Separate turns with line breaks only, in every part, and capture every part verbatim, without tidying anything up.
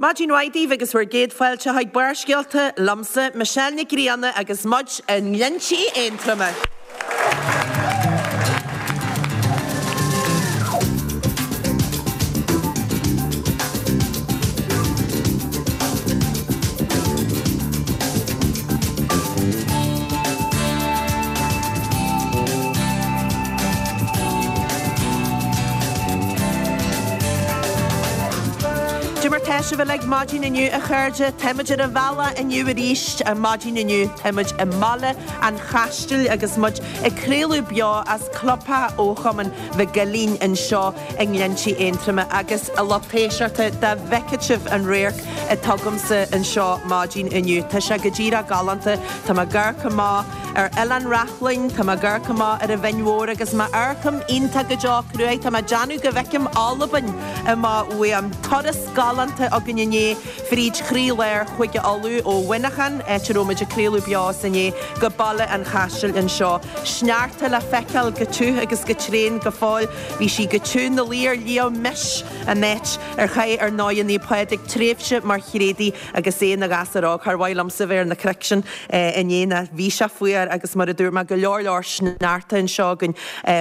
Maidin mhaith daoibh agus bhur gcéad fáilte chuig Barrscéalta liomsa, Michelle Nic Grianna agus muid i nGlinntí Aontroma. Cad é mar tá sibh uilig maidin inniu a chairde, táimid ar an bhealach inniu arís ar maidin inniu, táimid i mBaile an Chaistil agus muid ag craoladh beo as clubtheach Chumann Mhic Uilín anseo i nGlinntí Aontroma agus a lucht éisteachta dá bhfeicfeadh sibh an radharc atá agamsa anseo maidin inniu. Tá sé go díreach galánta, Tá mé ag amharc amach ar Oileán Reachlainn, tá mé ag amharc amach ar an Bhinn Mhór agus má amharcaim iontach go deo cruaidh, tá mé ag déanamh go bhfeicim Albain amach uaim. Turas galánta againn inné fríd chroílár Chúige Uladh ó Mhuineachán, áit a raibh muid ag craoladh beo as inné, go Baile an Chaistil anseo. Sneachta le feiceáil go tiubh agus go tréan go fóill. Bhí sí go tiubh 'na luí ar Shliabh Mis, an áit ar chaith ar ndóigh Naomh Pádraig tréimhse mar thréadaí agus é ina ghasúr óg. Char mhaith liomsa bheith ar na cnoic sin inné ná bhí sé fuar agus mar a dúirt mé go leor leor sneachta anseo againn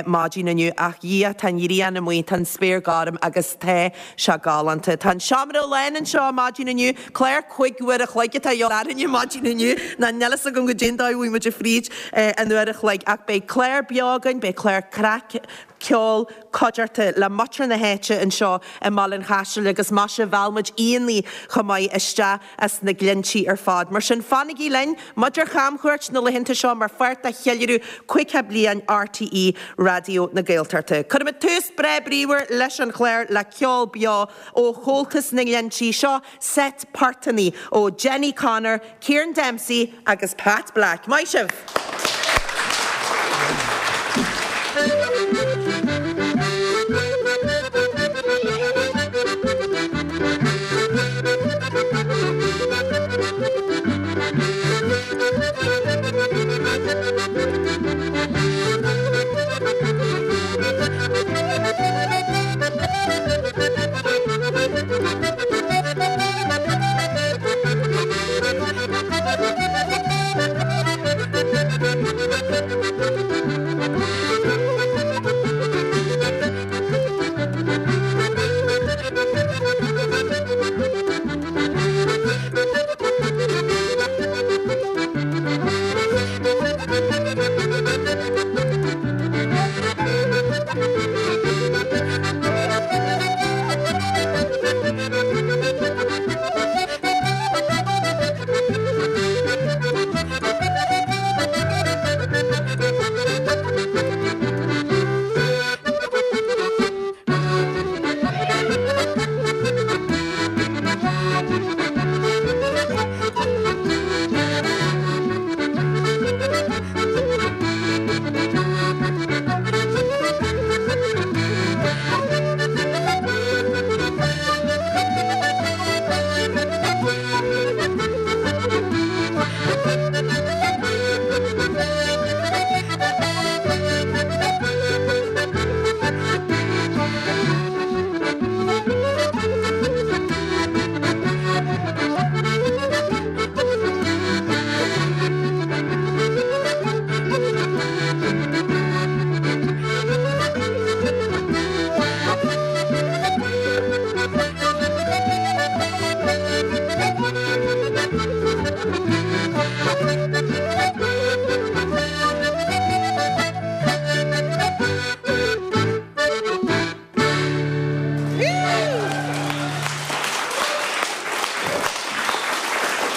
maidin inniu ach Dhia tá an ghrian amuigh, tá an spéir gorm agus tá sé galánta. Tá an seomra lán anseo maidin inniu, clár cúig uair a chloig atá orainne maidin inniu ná níl fhios agam goidé an dóigh a bhfuil muid fríd an uair a chloig ach beidh clár beo againn, beidh clár craic, ceol, cuideachta le muintir na háite anseo i mBaile an Chaistil agus maise mheall muid aíonna chomh maith isteach as na Glinntí ar fad. Mar sin fanaigí linn, muid ar chamchuairt na laethanta seo mar pháirt de cheiliúradh caoga bliain RTÉ Raidió na Gaeltachta. Cuirfimid tús breá bríomhar leis an chlár le ceol beo ó Chomhaltas na nGlinntí seo seit portanna ó Jenny Connor, Kieran Dempsey agus Pat Black. Maith sibh!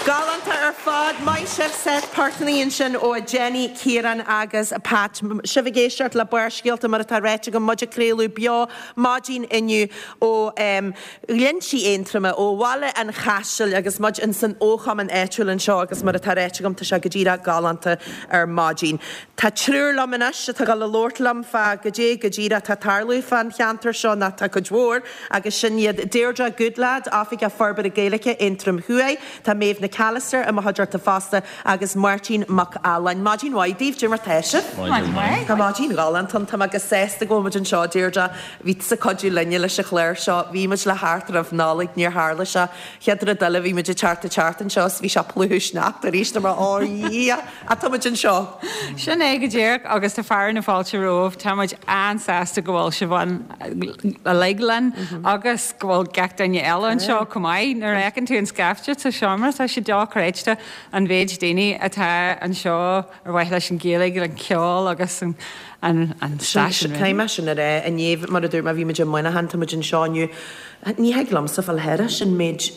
Galánta ar fad, maith sibh seit portanna ansin ó Jenny, Ciarán agus Pat. Sibh ag éisteacht le Barrscéalta mar atá ráite agam muid ag craoladh beo maidin inniu ó um, Ghlinntí Aontroma ó Bhaile an Chaistil agus muid in san fhochumann áitiúil anseo agus mar atá ráite agam tá sé go díreach galánta ar maidin. Tá triúr liom anois atá ag gabháil a labhairt liom fá goidé go díreach atá ag tarlú fán cheantar seo ná tá cuid mhór agus sin iad Deirdre Goodlad, Oifigeach Forbartha Gaeilge Aontroim Thuaidh, Tá Maeve McAllister i mo chuideachta fosta agus Máirtín Mac Aláin. Maidin mhaith daoibh, cad é mar tá sibh? Tá maidin ghalánta ann, tá mé go sásta go bhfuil muid anseo, Deirdre. Bhí tusa ag cuidiú linne leis an chlár seo, bhí muid le theacht roimh Nollaig, níor tharla sé. Chéad rud eile bhí muid ag teacht ag teacht anseo is bhí sé ag plúchadh sneachta arís, tá mé ó Dhia, ach tá muid anseo.
Sin é go díreach agus tá fearadh na fáilte romhaibh, tá muid an-sásta go bhfuil sibh ann uilig linn agus go bhfuil gach duine eile anseo chomh maith. Nuair a fheiceann tú an scaifte sa seomra, tá sé dochreidte an mhéid daoine atá anseo ar mhaithe leis an Ghaeilge, an ceol agus an an stáisiún.
Caithfidh mé sin a rá, inné, mar a dúirt mé, bhí muid i Muineachán, tá muid anseo inniu. Ní thig liomsa fáil thairis an méid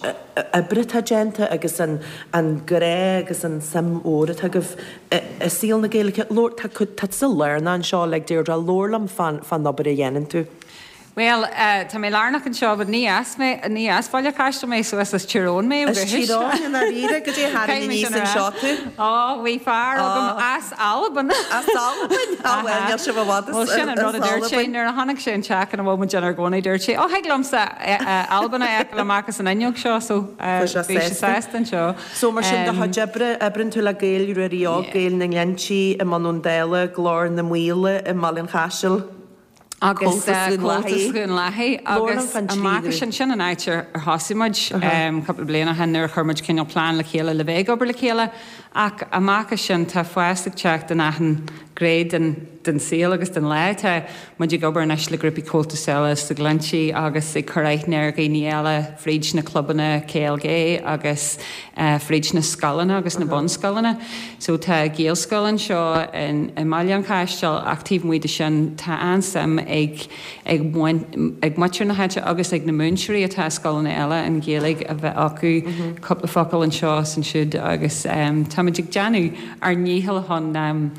oibre atá déanta agus an an grá agus an suim mhór atá agaibh i saol na Gaeilge. Labhair, tá tá tusa lárnach anseo, like Deirdre, labhair liom fán fán obair a dhéanann tú.
Bhuel, tá mé lárnach anseo, but ní as mé, ní as Baile Chaistil mé, so is as Tír Eoghain mé ó
As Tír
dhúchas.
Eoghain i ndáiríre, goidé a tharraing
Caithfidh mé
aníos
sin a rá.
anseo tú?
Ó, bhí fear agam as Albain.
As Albain? Á bhuel, níl sibh i bhfad
Bhuel,
as
sin an rud a
as
dúirt sé
Albain.
nuair a tháinig sé an teach ina bhfuil muid inár gcónaí, dúirt sé, Ó, thig liomsa Albain a fheiceáil amach as an fhuinneog seo, so
Tá sé
bhí sé
sásta.
sásta anseo.
So mar sin do chuid oibre, oibreann tú le Gaeil Ruairí Óg,
Yeah.
Gaeil na nGlinntí i mBun Abhann Dála, Glór na Maoile i mBaile an Chaisil.
Agus
Comhaltas Dhún
Comhaltas
Lathaí.
Dhún Lathaí
Labhair liom
agus
fán trí
amach
ghrúpa.
sin sin an áit ar ar thosaigh muid cúpla bliain ó shin nuair a chuir muid cineál plean le chéile le bheith ag obair le chéile ach amach as sin tá fás ag teacht in achan ghné den den saol agus den lá. Tá muid ag obair anois le grúpaí Comhaltas eile sa Ghlinntí agus ag cur aithne ar dhaoine eile fríd na clubanna C L G agus fríd na scoileanna agus na bunscoileanna. So tá Gaelscoil anseo in i mBaile an Chaistil ach taobh amuigh de sin tá an-suim ag ag ag muintir na háite agus ag na múinteoirí atá i scoileanna eile an Ghaeilge a bheith acu cúpla focal anseo is ansiúd agus um, táimid ag déanamh ár ndícheall chun um,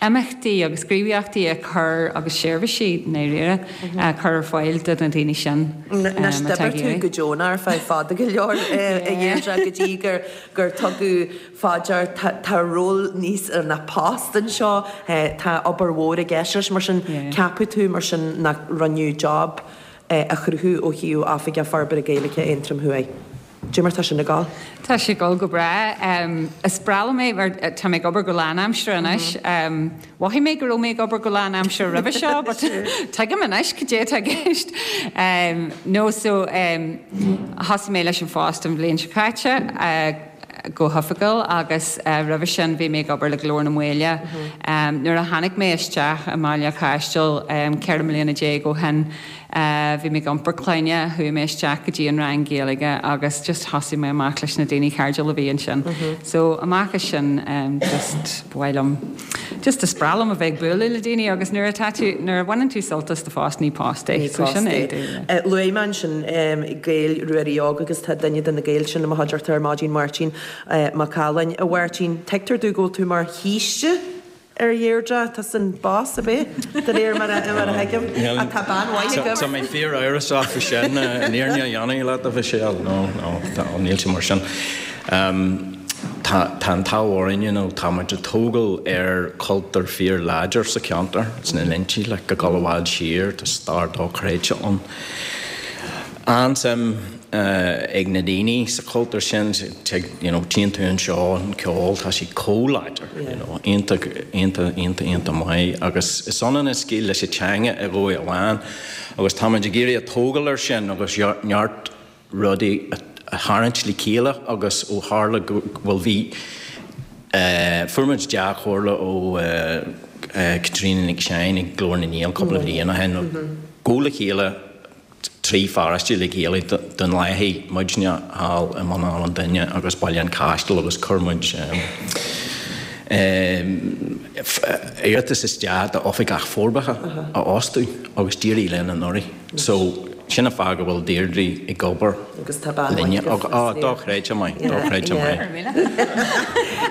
imeachtaí agus gníomhaíochtaí a chur agus seirbhísí ndáiríre a chur ar fáil do na daoine sin.
Anois d'oibir tú go deonach ar feadh fada go leor a Dheirdre go dtí gur gur tugadh faoi deara tá ról níos ar na post anseo tá obair mhór i gceist leis mar sin ceapadh tú mar sin nach rinneadh job a chruthú ó thaobh Oifigeach Forbartha Gaeilge Aontroim Thuaidh. Cad é mar tá sin ag gabháil?
Tá sé ag gabháil go breá. Um, is breá liom é mar tá mé ag obair go lánaimseartha anois. Um, Mhothaigh mé go raibh mé ag obair go lánaimseartha roimhe seo, but tuigim anois cad é atá i gceist. Um, no so um, thosaigh mé leis an phost an bhliain seo caite. Uh, go hoifigiúil agus uh, roimhe sin bhí mé ag obair le Glór na Maoile. Um, nuair a tháinig mé isteach i mBaile Chaistil um, ceithre bliana déag ó shin, uh, bhí mé ag iompar clainne, chuaigh mé isteach go dtí an rang Gaeilge agus just thosaigh mé amach leis na daoine cairdiúla a bhí ansin. So amach as sin um, just ba mhaith liom just is breá liom a bheith ag bualadh le daoine agus nuair atá tú nuair a bhaineann tú sult as do phost ní post é. So sin é.
Uh, Luaigh mé ansin um, Gaeil Ruairí Óg agus tá duine de na Gaeil sin i mo chuideachta ar maidin Máirtín uh, Mac Aláin. A Mháirtín, tuigtear domh go bhfuil tú mar shaoiste ar Dheirdre tá san boss a bé de réir mar a mar a thuigim a tá bean mhaith agam.
Tá mé fíor-amhrasach faoi sin an fhírinne a dhéanamh leat a Mhichelle no no tá níl sé mar sin. Um, Tá tá an t-ádh orainn you know, tá muid ag tógáil ar cultúr fíorláidir sa cheantar sna Glinntí le go go bhfad siar tá stair dochreidte ann. An-suim uh, ag na daoine sa chultúr sin you know, tchíonn tú anseo an ceol tá sé chomh láidir you know, iontach iontach iontach iontach maith agus is ionann an scéal leis an teanga i dhóigh amháin agus táimid ag iarraidh tógáil air sin agus neart rudaí a tharraingt le chéile agus ó tharla go bhfuil bhí uh, fuair muid dea-chomhairle ó uh, uh, Caitríona Nic Seáin ag Glór na nGael cúpla bliain ó shin go le chéile trí pharóiste le chéile don léithí muidne thall i mBun Abhann Dúine agus Baile an Chaistil agus chuir muid iarratas isteach d'oifigeach forbartha a fhostú agus d'éirigh linn anuraidh. So sin an fáth go bhfuil Deirdre ag obair
Agus tá bean
linne
mhaith
agus á dochreidte maith dochreidte maith.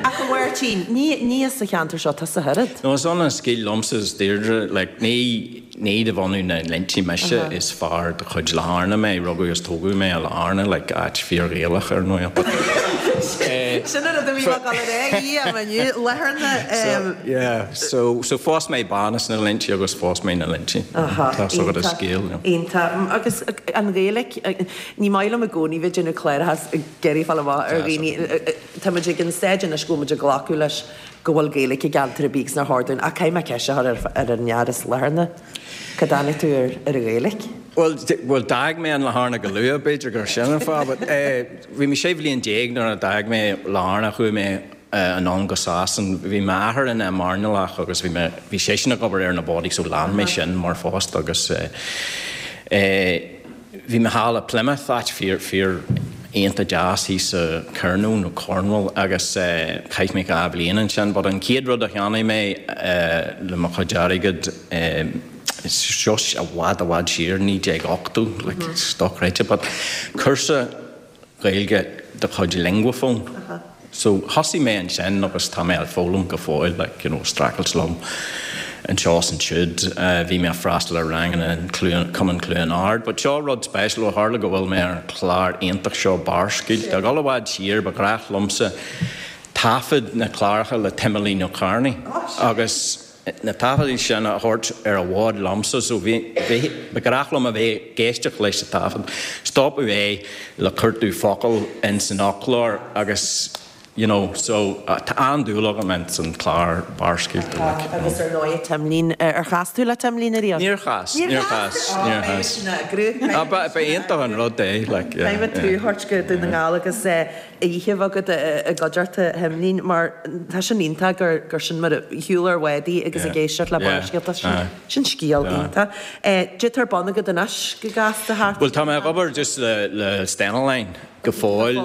Ach a Mháirtín, ní ní as sa cheantar seo tá sa thuad.
No is ionann an scéal liomsa is Deirdre like, ní ní de bhunadh na nGlinntí mise is fear de chuid Latharna mé rugadh is tógadh mé i Latharna like, áit fíor-Ghaelach ar ndóigh.
Sin an rud a bhí mé ag dul a rá, í Latharna.
So, yeah, so, so phós mé bean as na Glinntí agus phós mé na Glinntí. Tá so go scéal.
Iontach. Agus an Ghaeilge, ní maith liom i gcónaí bheith ag déanamh cléireachas ag iarraidh fáil amach ar dhaoine. Tá muid ag an staid anois go bhfuil muid ag glacadh leis go bhfuil Gaeilge i gceantar ar bith agus nár chóir dúinn, ach caithfidh mé ceist a chur ar an fhear as Latharna, cá dtáinig tú ar an Ghaeilge?
Bhuel, bhuel d'fhág mé an Latharna go luath, b'fhéidir gur sin an fáth, but bhí mé sé bhliain déag nuair a d'fhág mé Latharna, chuaigh mé anonn go Sasain. Bhí m'athair ina mhairnéalach agus bhí mé, bhí seisean ag obair ar na bádaí so lean mé sin mar phost agus bhí mé thall i Plymouth, áit fíor, fíor iontach deas thíos sa Kernow nó Cornwall agus chaith mé dhá bhliain ansin but an chéad rud a cheannaigh mé le mo chuid airgid, seo i bhfad i bhfad siar, naoi déag ochtó, like dochreidte but cúrsa Gaeilge de chuid Linguaphone. So thosaigh mé ansin agus tá mé ag foghlaim go fóill, like you know streachailt liom anseo is ansiúd. Bhí mé ag freastal ar ranganna in Cumann Chluain Ard. But seo rud speisialta, ó tharla go bhfuil mé ar an chlár iontach seo Barrscéalta. Ag dul i bhfad siar, ba ghnách liomsa taifead na cláracha le Timolín Ó Cearnaigh agus na taifeadaí sin a thabhairt ar an bhád liomsa so bhí, bhí, ba ghnách liom a bheith ag éisteacht leis an taifead. Stopadh é le cuartú focal in san fhoclóir agus you know, so tá an-dúil agam ins an clár Barrscéalta like, you know.
Agus ar ndóigh Timlín, ar chas tú le Timlín ariamh?
Níor chas, níor chas, níor chas. Ah, ba, ba iontach an rud é, like, yeah.
Caithfidh tú a thabhairt go Dún na nGall agus oíche bheag agat i gcuideachta Thimlín mar tá sin iontach gur, gur sin mar a shiúl ar bhádaí agus ag éisteacht le Barrscéalta, sin, sin scéal iontach. Cad tá ar bun agat anois go gasta thart?
Bhuel, tá mé ag obair just le, le Stena Line go fóill.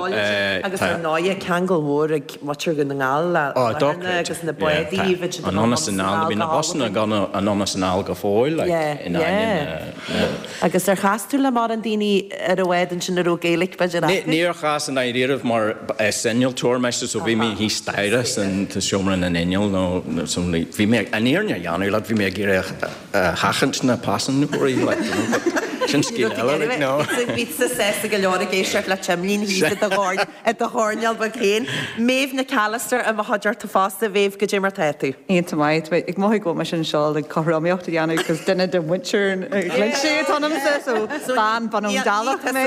Agus ar ndóigh ceangal mór ag muintir Dhún na nGall le Latharna agus na bádaí, bhí siad
anonn is anall, bhí na busanna ag anonn is anall go fóill, like, in ainneoin na.
Agus ar chas tú le mórán daoine ar an bhád ansin a raibh Gaeilge b'fhéidir acu?
Níor chas i ndáiríribh mar is innealtóir mise so bhí mé thíos staighre san seomra na n-inneall nó so bhí mé an fhírinne a dhéanamh leat bhí mé ag iarraidh a sheachaint na paisinéirí like, you know, but sin scéal eile like, no.
Bhí tú sásta go leor ag éisteacht le Timlín thíos i do i do choirnéal beag féin. Méabh Nic Allister i mo chuideachta fosta, Mhéabh, goidé mar tá tú?
Iontach maith, tá mé ag mothú go bhfuil mise anseo le cothromaíocht a dhéanamh cos duine de mhuintir na Glinntí atá ionamsa so bean bun ón dTulach mé.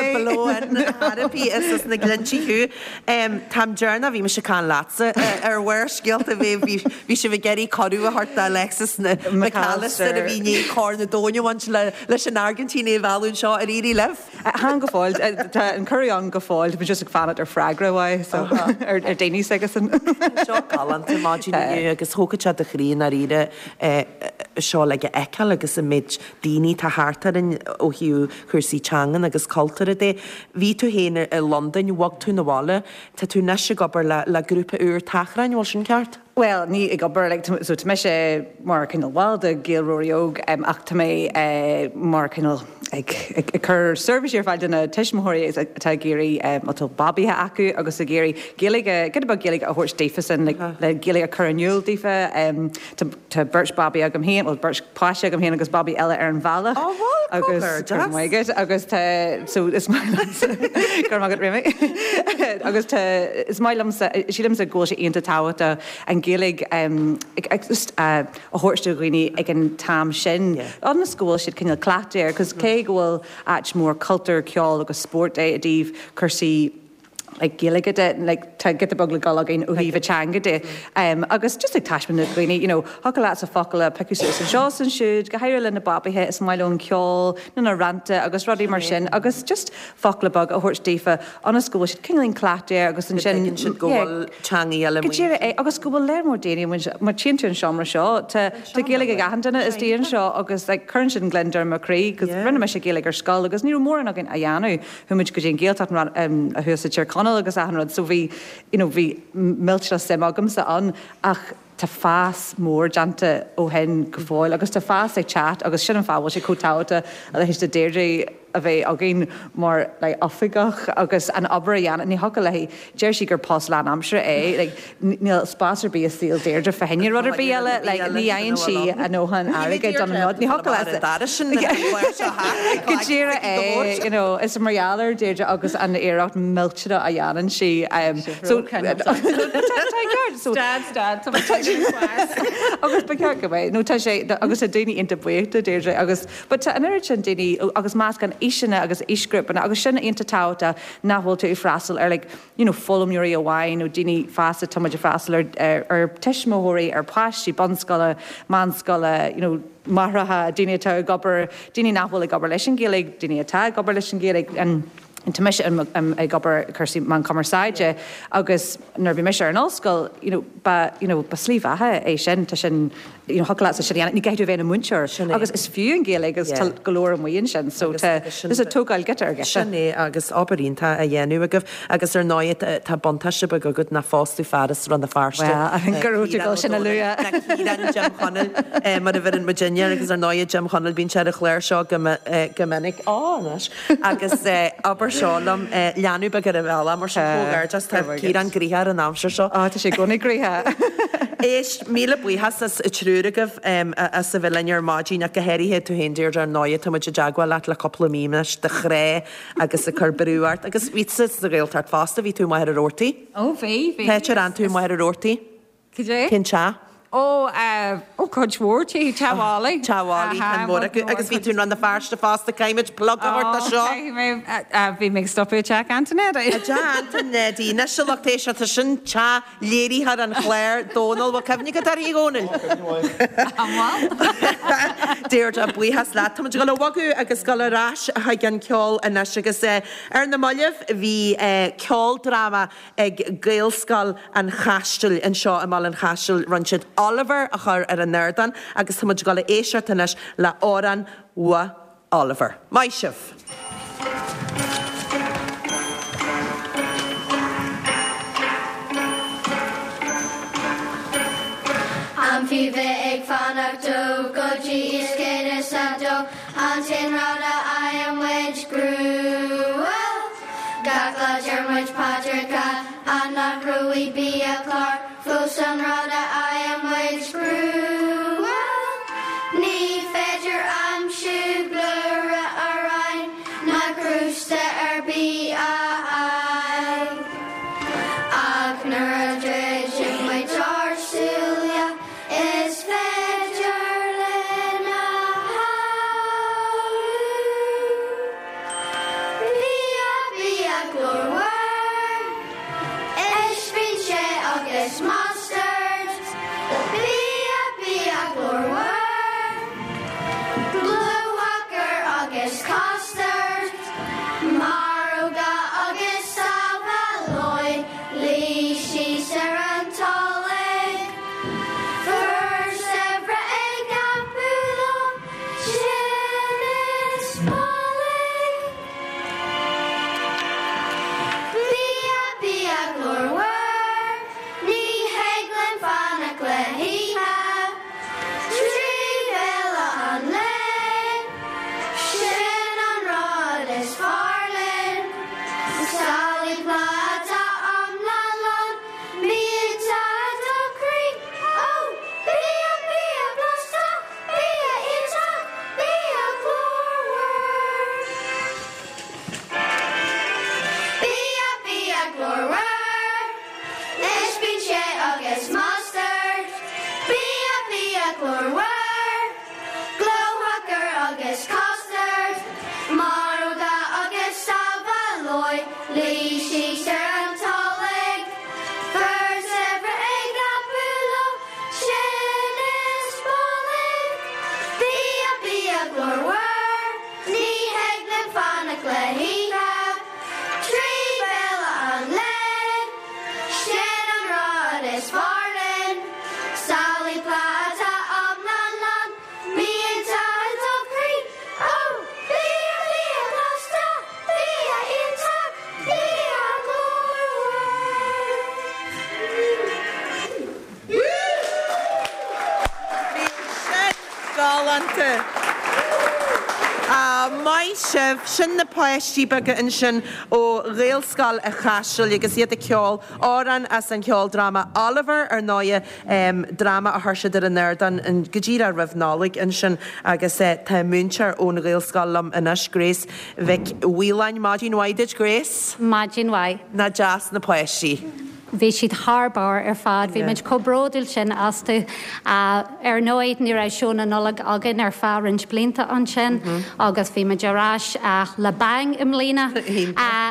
Therapy is as na Glinntí thú. Táim deireanach, bhí mise ag caint leatsa ar Bharrscéalta, Mhéabh, bhí bhí sibh ag iarraidh cuireadh a thabhairt d'Alexis McAllister a bhí i ndiaidh Corn an Domhain a bhaint leis an Airgintín é a mhealladh anseo ar éirigh libh.
Chan go fóill, tá an cuireadh ann go fóill, tá mé just ag fanacht ar freagra uaidh so ar ar daoine s'aigesan.
Seo galánta maidin inniu agus thógfadh sé do chroí i ndáiríre seo le a fheiceáil agus an méid daoine atá thart orainn ó thaobh cúrsaí teangan agus cultúrtha de. Bhí tú féin i Londain, bhog tú 'na bhaile, tá tú anois ag obair le le grúpa úr Tachráin, bhfuil sin ceart?
Bhuel, ní ag obair, like, so tá mise mar cineál ball de Gaelróirí Óg ach tá mé mar cineál ag ag cur seirbhísí ar fáil do na tuismitheoirí atá ag iarraidh, má tá babaithe acu agus ag iarraidh Gaeilge, giota beag Gaeilge a thabhairt daofasan, like, le Gaeilge a chur in iúl daofa. Tá tá beirt babaí agam féin, bhuel beirt páiste agam féin agus babaí eile ar an bhealach.
Ó bhuel,
comhghairdeas. Agus agus tá, so is maith liomsa, go raibh maith agat Réamaí, agus tá, is maith liomsa, sílimse go bhfuil sé iontach tábhachtach an Ghaeilge a thabhairt do dhaoine ag an t-am sin, ionas go bhfuil siad cineál cleachtaithe air, cos cé go bhfuil áit mór cultúir, ceoil agus spóirt é i dtaobh cúrsaí like Gaeilge de, like tá giota beag le dul againn ó thaobh an teanga de. Agus just ag taispeáint do dhaoine, you know, thiocfadh leatsa focal a piocadh suas anseo is ansiúd, go háirithe le na babaithe, is maith leo an ceol nó na rannta agus rudaí mar sin agus just focla beaga a thabhairt daofa ionas go bhfuil siad cineáilín cleachtaithe air agus ansin,
Go dtuigeann siad go bhfuil teangaí eile
Go díreach é agus go bhfuil léar mór daoine amuigh, má tchíonn tú an seomra seo, tá tá Gaeilge ag achan duine istigh anseo agus like cuireann sin gliondar ar mo chroí 'cause rinne mise Gaeilge ar scoil agus ní raibh mórán againn á dhéanamh. Chuaigh muid go dtí an Ghaeltacht thuas i Tír Chonaill agus achan rud so bhí you know bhí millteanach suim agamsa ann ach tá fás mór déanta ó shin go fóill agus tá fás ag teacht agus sin an fáth a bhfuil sé chomh tábhachtach a leithéid de Deirdre
a bheith againn mar like, oifigeach agus an obair a dhéanamh ní thiocfadh léi deir sí gur post lánaimseartha é like, níl spás ar bith i saol Deirdre fá choinne rud ar bith eile like, ní fhaigheann sí a ndóthain airgid don rud ní thiocfadh go díreach é you know, is mar gheall ar Deirdre agus an iarracht millteanach a dhéanann sí um, so so
Dad, dad,
agus ba cheart go mbeidh nó tá sé agus a daoine iontach buíoch de Deirdre agus but tá an oiread sin daoine agus meascán aoiseanna agus aoisghrúpanna agus sin iontach tábhachtach nach bhfuil tú ag freastal ar like, you know, foghlaimeoirí amháin nó daoine fásta tá muid ag freastal ar, ar, ar tuismitheoirí ar páistí bunscoile, meánscoile, you know, máithreacha, daoine atá ag obair, daoine nach bhfuil ag obair leis an Ghaeilge, daoine atá ag obair leis an Ghaeilge an Tá mise ag obair cúrsaí meán cumarsáide agus nuair bhí mise ar an ollscoil you know, ba you know, ba slí bheatha é sin tá sin you know, thiocfadh leat sin ní gá bheith i do mhúinteoir agus is fiú an Ghaeilge agus yeah. go leor amuigh sin so tá is a tógáil giota ar giota.
Sin é agus obair iontach á dhéanamh agaibh agus ar ndóigh tá buntáiste beag agat nach fostú fear as Rann na Feirste.
Well, go raibh tú sin a lua.
Ciarán Jim Chonaill mar a bheireann muidinne agus ar ndóigh Jim Chonaill bíonn sé ar an chlár seo go minic á anois agus obair seo liom leanbh beag ar an bhealach mar sin comhghairdeas tá Ciarán gnoitheach ar an aimsir seo.
Á tá sé gona gnoitheach.
Éist míle buíochas as triúr agaibh as a bheith linn ar maidin ach go háirithe tú féin Deirdre ar ndóigh tá muid i dteagmháil leat le cúpla mí anois de chré agus ag cur brú ort agus bhí sa Ghaeltacht fosta bhí tú maith ar ortaí.
Ó bhí bhí.
Cá háit ar fhan tú maith ar ortaí?
Cad é?
Cén teach?
Ó ó cuid mhór tí Teamhálaí.
Teamhálaí an mór agus bhí tú Rann na Feirste fosta caithfimid plug a thabhairt seo.
Bhí mé ag stopadh teach Antoinette.
Teach Antoinette, anois a lucht éisteachta sin teach léirithe ar an chlár Dónal bhfuil cuimhne agat uirthi Dhónaill. Deirdre buíochas leat Tá muid ag dul a bhogadh agus dul ar ais chuig an ceol anois agus ar na mallaibh bhí ceoldráma ag Gaelscoil an Chaistil anseo i mBaile an Chaistil rinne siad Oliver a chur ar an ardán agus tá muid ag dul a éisteacht anois le amhrán uaidh Oliver. Maith sibh.
An fiú bheith ag fanacht dó go dtí is céad is a dó an t-aon rud a fhaigheann muid gruaim. Gach lá deir muid paidreacha an nach raibh biachlár fós an rud a fhaigheann muid gruaim. Ní féidir aimsiú blúire aráin ná crústa ar bith a fháil. Ach nuair a dhruideann muid ár súile is féidir linn a shamhlú. Bia bia glórmhar, ispín agus mustard. Bia bia glórmhar, glúthacar agus custard. Maróga agus saveloy, luí síos ar an tolg. Fir saibhre ag oibriú leo, sin is boilg. Bia bia glórmhar, ní thig linn fanacht le hithe. Trí bhéile an lae, sin an rud is fearr linn. Samhlaigh pláta iomlán lán, millteach do chroí. Ó, bia bia blasta, bia iontach, bia glórmhar. Bia bia glórmhar, ispín agus mustard. Bia bia glórmhar, glóthacar agus custard. Maróga agus saveloy, luí síos ar an tolg. Fir saibhre ag oibriú leo, sin is boilg. Bia bia glórmhar, ní thig linn fanacht le hithe. Trí bhéile an lae, sin an rud is fearr linn. Samhlaigh pláta iomlán lán, millteach do chroí. Ó, bia bia blasta, bia iontach, bia glórmhar.
Bhí sin galánta. Maith sibh sin na páistí beaga ansin ó Ghaelscoil an Chaisil agus iad ag ceol amhrán as an cheoldráma Oliver ar ndóigh dráma a chuir siad ar an ardán go díreach roimh Nollaig ansin agus tá múinteoir ón Ghaelscoil liom anois Grace Mhic Mhaoláin. Maidin mhaith duit Grace.
Maidin mhaith.
Nach deas na páistí.
Bhí siad thar barr ar fad, bhí muid chomh bródúil sin astu. Ar ndóigh, ní raibh seó na Nollag againn ar feadh roinnt blianta ansin agus bhí muid ar ais le bang i mbliana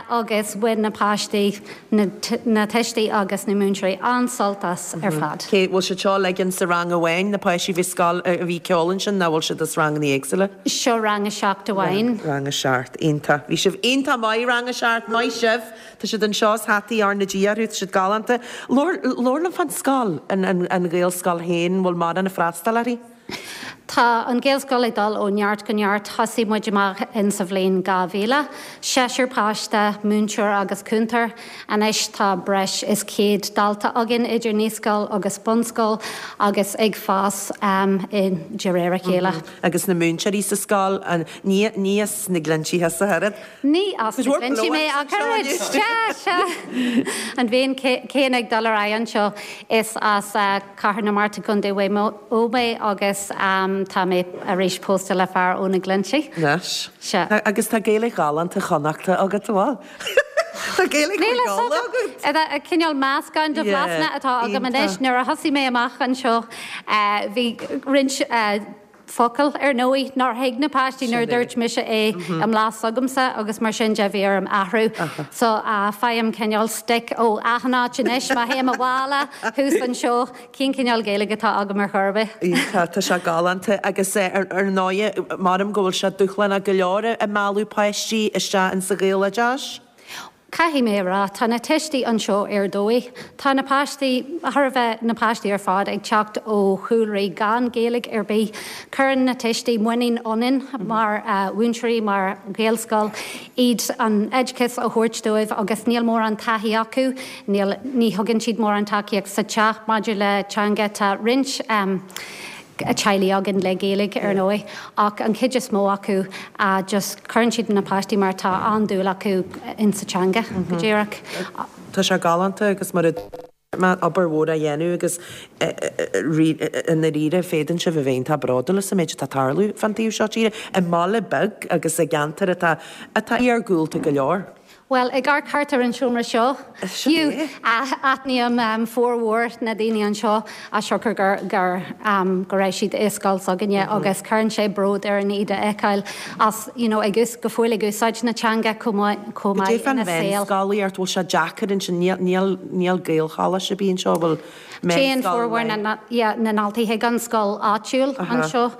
agus bhain na páistí, na tuistí agus na múinteoirí an-sult as ar fad.
Cé, bhfuil siad seo uilig in sa rang amháin, na páistí a bhí scoil, a bhí ceol ansin, nó bhfuil siad as ranganna éagsúla?
Seo rang a seacht amháin.
Rang a seacht, iontach. Bhí sibh iontach maith, rang a seacht, maith sibh. Tá siad anseo is hataí R na G orthu, tá siad galánta. Labhair, labhair liom fán scoil, an, an, an Ghaelscoil féin, bhfuil mórán ag freastal uirthi?
Tá an Ghaelscoil ag dul ó neart go neart. Thosaigh muid amach in sa bhliain dhá mhíle. Seisear páiste, múinteoir agus cúntóir. Anois tá breis is céad dalta againn idir naíscoil agus bunscoil agus ag fás i de réir a chéile.
Agus na múinteoirí sa scoil, an, ní, ní as na Glinntí thusa ach oiread?
Ní as na Glinntí mé ach oiread. Sea, sea. An bhliain chéanna ag dul ar aghaidh anseo. Is as Cathair na Mart i gContae Mhaigh Eo mé agus tá mé arís pósta le fear ó na Glinntí.
Anois.
Sea.
Agus tá Gaeilge ghalánta Chonnachta agat, an bhfuil? Tá Gaeilge
Níl a
Ghaeilge agat.
Cineál meascán de bhlasanna atá agam anois. Nuair a thosaigh mé amach anseo bhí roinnt focal ar ndóigh nár thuig na páistí nuair a dúirt mise é i mblas s'agamsa agus mar sin de bhí orm athrú. So faighim cineál stick ó achan áit anois má théim abhaile thuas anseo cén cineál Gaeilge atá agam ar chor ar bith.
Tá tá sé galánta agus ar ar ndóigh measaim go bhfuil sé dúshlánach go leor ag mealladh páistí isteach insa Ghaeloideachas.
Caithfidh mé a rá, tá na tuistí anseo ar dóigh. Tá na páistí, thar a bheith na páistí ar fad ag teacht ó chúlraí gan Gaeilge ar bith. Cuireann na tuistí muinín ionainn mar mhúinteoirí, mar Ghaelscoil, iad an oideachas a thabhairt dóibh agus níl mórán taithí acu, níl, ní thugann siad mórán tacaíocht sa teach maidir le teanga. Tá roinnt teaghlaigh againn le Gaeilge ar ndóigh ach an chuid is mó acu just cuireann siad na páistí mar tá an-dúil acu insa teanga go díreach.
Tá sé galánta agus mar a má obair mhór a dhéanamh agus i ndáiríre féadann sibh a bheith iontach bródúil as an méid atá ag tarlú fán taobh seo tíre, i mbaile beag agus i gceantar atá atá iargúlta go leor.
Bhuel, ag amharc thart ar an seomra seo, fiú, aithním formhór na daoine anseo as siocair gur, gur, go raibh siad i scoil s'againne agus cuireann sé bród orainn iad a fheiceáil as, you know, ag ús, go fóill ag úsáid na teanga chomh maith, chomh
Cad é
maith
fán
ina saol.
mheánscolaíocht, bhfuil sé deacair ansin, níl, níl, níl Gaelcholáiste ar bith anseo, bhfuil
Téann
meánscoil
formhór na,
amháin?
na, yeah, na ndaltaí chuig an scoil áitiúil anseo.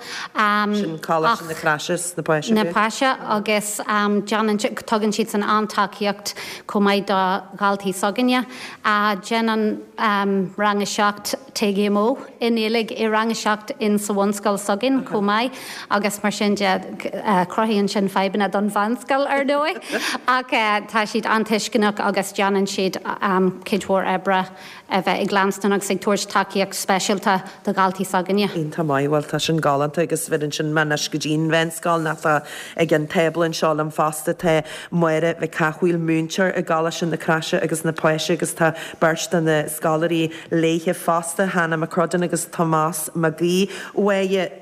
Sin Coláiste
Ach
na Croise is na Páise
na
b'fhéidir?
Páise agus déanann, tugann siad san an-tacaíocht chomh maith do dhaltaí s'againne. Déanann rang a seacht TGMO i nGaeilge i rang a seacht in sa bhunscoil s'againn chomh maith agus mar sin de cruthaíonn sin fadhbanna don mheánscoil ar ndóigh ach tá siad an-tuisceanach agus déanann siad cuid mhór oibre a bheith ag leanstan agus ag tabhairt tacaíocht speisialta do dhaltaí s'againne.
Iontach maith, bhuel tá sin galánta agus bheireann sin mé anois go dtí an mheánscoil nach tá ag an tábla anseo liom fosta tá Máire Mhic Cathmhaoil múinteoir i gColáiste na Croise agus na Páise agus tá beirt de na scoláirí léithe fosta, Hannah McCrudden agus Tomás Mac Aoidh. Mháire,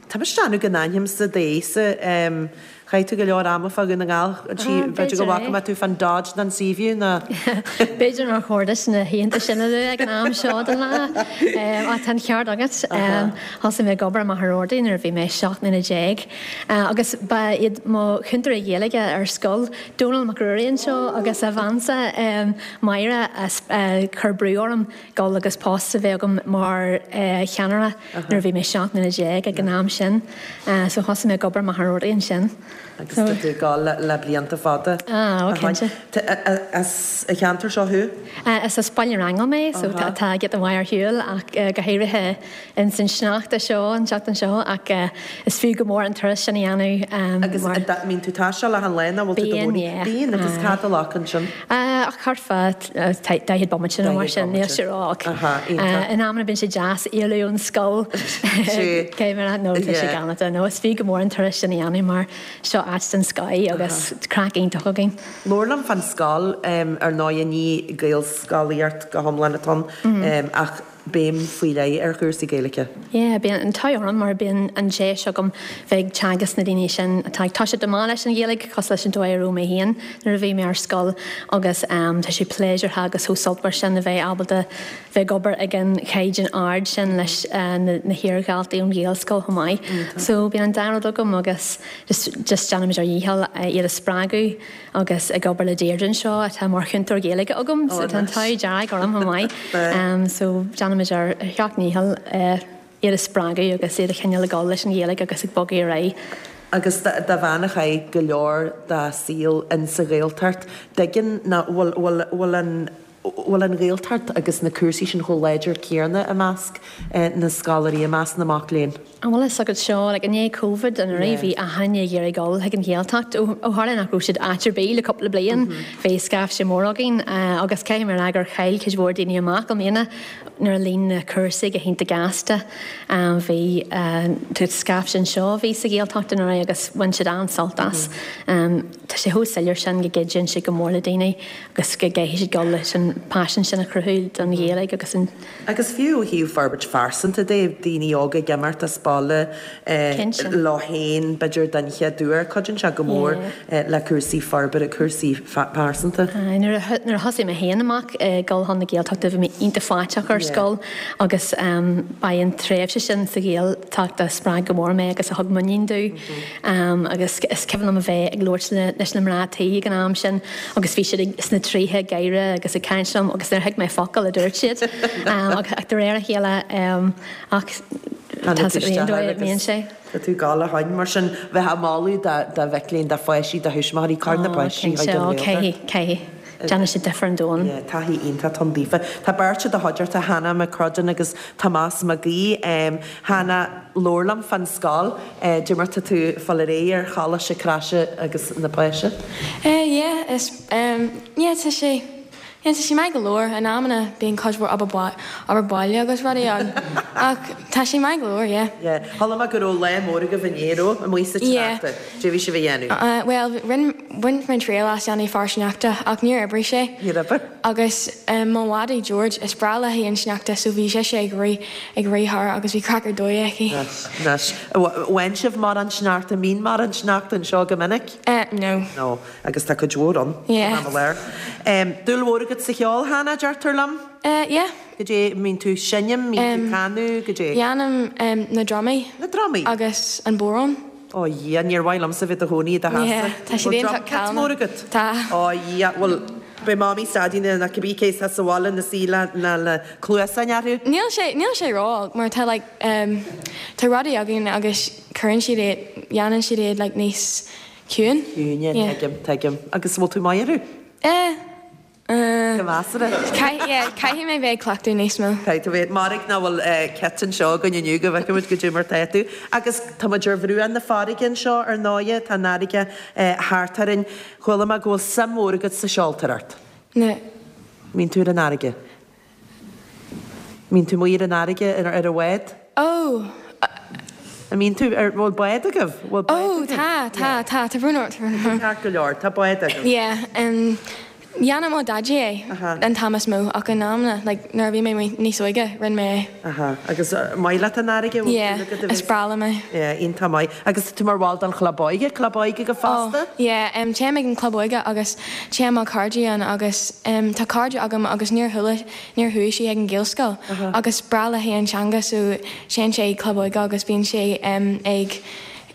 tá mise ag déanamh go n-aithnímse d'aghaidhse, chaith tú go leor ama fá Dhún na nGall, b'fhéidir go bhfaca mé tú fán Dodge nó an Seaview nó.
B'fhéidir nár chóir duit na hoícheanta sin a lua ag an am seo den lá. Ach tá an ceart agat. Thosaigh mé ag obair i Machaire Rabhartaigh nuair a bhí mé seacht mbliana déag. Agus ba iad mo chúntóirí Gaeilge ar scoil, Dónal Mac Ruairí anseo agus a bheansa Máire a chuir brú orm dul agus post a bheith agam mar cheannaire nuair a bhí mé seacht mbliana déag ag an am sin. So thosaigh mé ag obair i Machaire Rabhartaigh ansin.
Agus tá tú ag gabháil le blianta fada.
Ah, ó cinnte.
As an cheantar seo thú?
Is as Baile an Aingil mé, so tá giota maith ar shiúl ach go háirithe ins an sneachta seo, an tseachtain seo, ach is fiú go mór an turas sin a dhéanamh.
Agus mbíonn tú taisteal achan lá nó bhfuil tú do
Bíonn, yeah.
Bíonn, agus cad a ghlacann sin?
Ach thart fá daichead bomaite nó mar sin, níl sé ró-olc. In amanna bíonn sé deas éalú ón scoil. Cé mar nó tá sé galánta. Nó is fiú go mór an turas sin a dhéanamh mar seo áit den scoth agus craic iontach againn.
Labhair liom fán scoil, ar ndóigh ní Gaelscolaíocht go hiomlán atá ann ach béim faoi leith ar chúrsaí Gaeilge.
Yeah, bíonn an t-ádh orm mar bíonn an deis agam bheith ag teagasc na daoine sin atá ag toiseacht amach leis an Ghaeilge, cosúil leis an dóigh a raibh mé féin nuair a bhí mé ar scoil agus tá sé pléisiúrtha agus chomh sultmhar sin a bheith ábalta bheith ag obair ag an chaighdeán ard sin leis na hiardhaltaí ón Ghaelscoil chomh maith. So bíonn an dá rud agam agus just just déanaimid ár ndícheall iad a spreagadh agus ag obair le Deirdre anseo atá mar chúntóir Gaeilge agam so tá an t-ádh dearg orm chomh maith. So déanaimid ár seacht ndícheall iad a spreagadh agus iad a choinneáil ag dul leis an Ghaeilge agus ag bogadh ar aghaidh.
Agus do bhean a chaith go leor dá saol insa Ghaeltacht, dtuigeann ná bhfuil bhfuil bhfuil an bhfuil an Ghaeltacht agus na cúrsaí sin chomh láidir céanna i measc na scoláirí, i measc na mac léinn?
An bhfuil a fhios agat seo, like, i ndiaidh Covid anuraidh bhí achan duine ag iarraidh dul chuig an Ghaeltacht. Ó ó tharla nach raibh siad áit ar bith le cúpla bliain, bhí scaifte mór againn agus caithfidh mé a rá gur chaill cuid mhór daoine amach i mbliana nuair a líon na cúrsaí go hiontach gasta. Bhí scaifte anseo a bhí sa Ghaeltacht anuraidh agus bhain siad an-sult as. Tá sé chomh soiléir sin go gcuidíonn sé go mór le daoine agus go gcaithfidh siad dul leis an paisean sin a chruthú don Ghaeilge agus an.
Agus fiú ó thaobh forbairt phearsanta de, daoine óga ag imeacht as baile leo féin, b'fhéidir den chéad uair, cuidíonn sé go mór le cúrsaí forbartha, cúrsaí pearsanta.
Nuair a thosaigh mé féin amach ag dul chun na Gaeltachta bhí mé iontach faiteach ar scoil agus ba é an tréimhse sin sa Ghaeltacht a spreag go mór mé agus a thug muinín domh agus is cuimhin liom a bheith ag labhairt leis na mná tí ag an am sin agus bhí siad sna tríochaidí ag gáire agus ag caint liom agus níor thuig mé focal a dúirt siad ach de réir a chéile ach tá an dóigh a mbíonn sé.
Tá tú ag gabháil a shoin mar sin bheith ag moladh do mhic léinn, do pháistí, do thuismitheoirí, cuir na páistí chuig an Ghaeltacht.
Caithfidh, caithfidh. Déanann sé difear an domhain.
Yeah, taithí iontach ann daofa. Tá beirt i do chuideachta, Hannah McCrudden agus Tomás Mac Aoidh. Hannah, labhair liom fán scoil. Cad é mar tá tú ag fáil ar aghaidh ar Choláiste Croise agus na Páise?
Eh, yeah, is, em, yeah, tá sé, yeah, tá sé maith go leor. In amanna bíonn cuid mhór obair obair baile agus rudaí ann ach tá sé maith go leor, yeah.
Yeah. Chuala mé go raibh lá mór agaibh inné, raibh? Amuigh sa
Yeah.
tsneachta. Cad é bhí sibh a dhéanamh?
Uh, bhuel, rinne, bhain mé triail as déanamh fear sneachta ach níor oibrigh sé.
Níor oibrigh?
Agus um, mo mhadaidh George, is breá léi an sneachta so bhí sise ag rith, ag rith thar agus bhí craic ar dóigh aici.
Anois, anois. Bhain sibh mórán sneachta, mbíonn mórán sneachta anseo go minic?
Uh, no.
No. Agus tá cuid mhór ann.
Yeah.
San am i láthair. Um, dúil mhór agat sa cheol, Hannah, deirtear liom?
Uh, yeah.
Cad é, mbíonn tú seinm, mbíonn tú
Um,
canadh, cad é?
Dhéanaim um, na drumaí.
Na drumaí?
Agus an bodhrán.
Ó Dhia, níor mhaith liomsa bheith i do chónaí i do theachsa.
Yeah, tá siad
Bhfuil
iontach
drum kit
calma.
mór agat?
Tá.
Ó Dhia, bhuel, beidh Mamaí is Daidí nó cibé cé atá sa bhaile ina suí le le le cluasáin orthu.
Níl sé, níl sé ró-olc mar tá like um, tá rudaí againn agus cuireann siad iad, dhéanann siad iad like níos ciúin.
Ciúine,
Yeah.
tuigim, tuigim. Agus bhfuil tú maith orthu?
Eh, eh.
Go measartha.
Caith, yeah, caithfidh mé bheith ag cleachtadh níos mó.
Caithfidh tú bheith, mairg nach bhfuil kit anseo againn inniu go bhfeicfimid cad é mar tá tú. Agus tá muid ar bhruach na farraige anseo ar ndóighe, tá an fharraige thart orainn. Chuala mé go bhfuil suim mhór agat sa seoltóireacht.
Na.
Mbíonn tú ar an fharraige? Mbíonn tú amuigh ar an fharraige ar ar an bhád?
Oh.
An mbíonn tú ar, bhfuil bád agaibh? Bhfuil bád
Oh,
agaibh?
tá, tá, tá, tá brón ort, tá brón ort.
Ceart go leor, tá bád agaibh.
Yeah, um, dhéanadh mo dhaidí é an t-am is mó ach in amanna, like, nuair a bhí mé níos óige, rinne mé é.
Aha, agus maith leat an fharraige? Bhfuil
Yeah,
súil agat a
is
bheith-
breá liom é.
Yeah, iontach maith. Agus tá tú mar bhall den chlub óige, club óige go fosta?
Oh, yeah, um, téim ag an club óige agus téann mo chairde ann agus um, tá cairde agam agus níor chuala, níor chuaigh sí ag an Ghaelscoil
Aha.
agus breá léi an teanga so téann sé ag club óige agus bíonn sé um, ag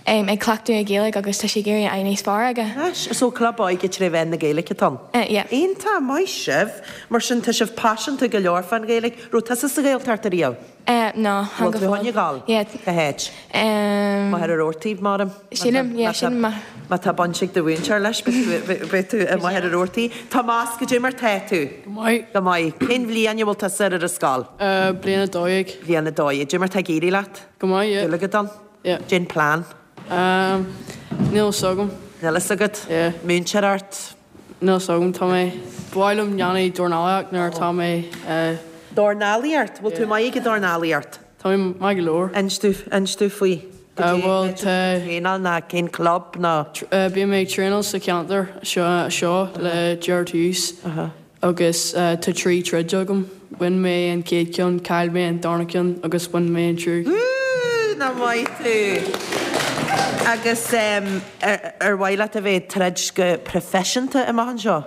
um, ag cleachtadh ag Gaeilge agus tá sé ag éirí níos fearr aige.
Anois, so club óige tré mheán na Gaeilge atá ann?
Uh, yeah.
Iontach maith sibh, mar sin tá sibh paiseanta go leor fán Ghaeilge. Raibh tusa sa Ghaeltacht ariamh?
Uh, no,
Bhfuil tú chun a ghabháil?
Yeah.
Cá háit?
Um,
Machaire Rabhartaigh, maram?
Sílim, yeah, sílim ma.
Má tá baint ag do mhúinteoir leis, beidh tú i Machaire Rabhartaigh. Tomás, cad é mar tá tú?
Go maith.
Go maith. Cén bhliain a bhfuil tusa ar an scoil?
Uh, bliain a dó dhéag.
Bliain a dó dhéag. Cad é mar tá ag éirí leat?
Go maith, yeah.
Dúil agat ann?
Yeah.
Cén plean?
Um, níl fhios agam.
Níl fhios agat?
Yeah.
Múinteoir ort?
Níl fhios agam, tá mé, ba mhaith liom déanamh dornálaíocht nuair atá mé, uh,
Dornálaíocht? Bhfuil tú maith ag dornálaíocht?
Tá mé maith go leor.
Inis domh, inis domh faoi.
Bhuel tá.
Traenáil ná cén club ná?
Bím ag traenáil sa cheantar seo seo le Gerard Hughes agus tá trí troid agam. Bhain mé an chéad ceann, chaill mé an darna ceann agus bhain mé an tríú.
Woo! Nach maith tú! Agus ar mhaith leat a bheith ag troid go proifisiúnta amach anseo?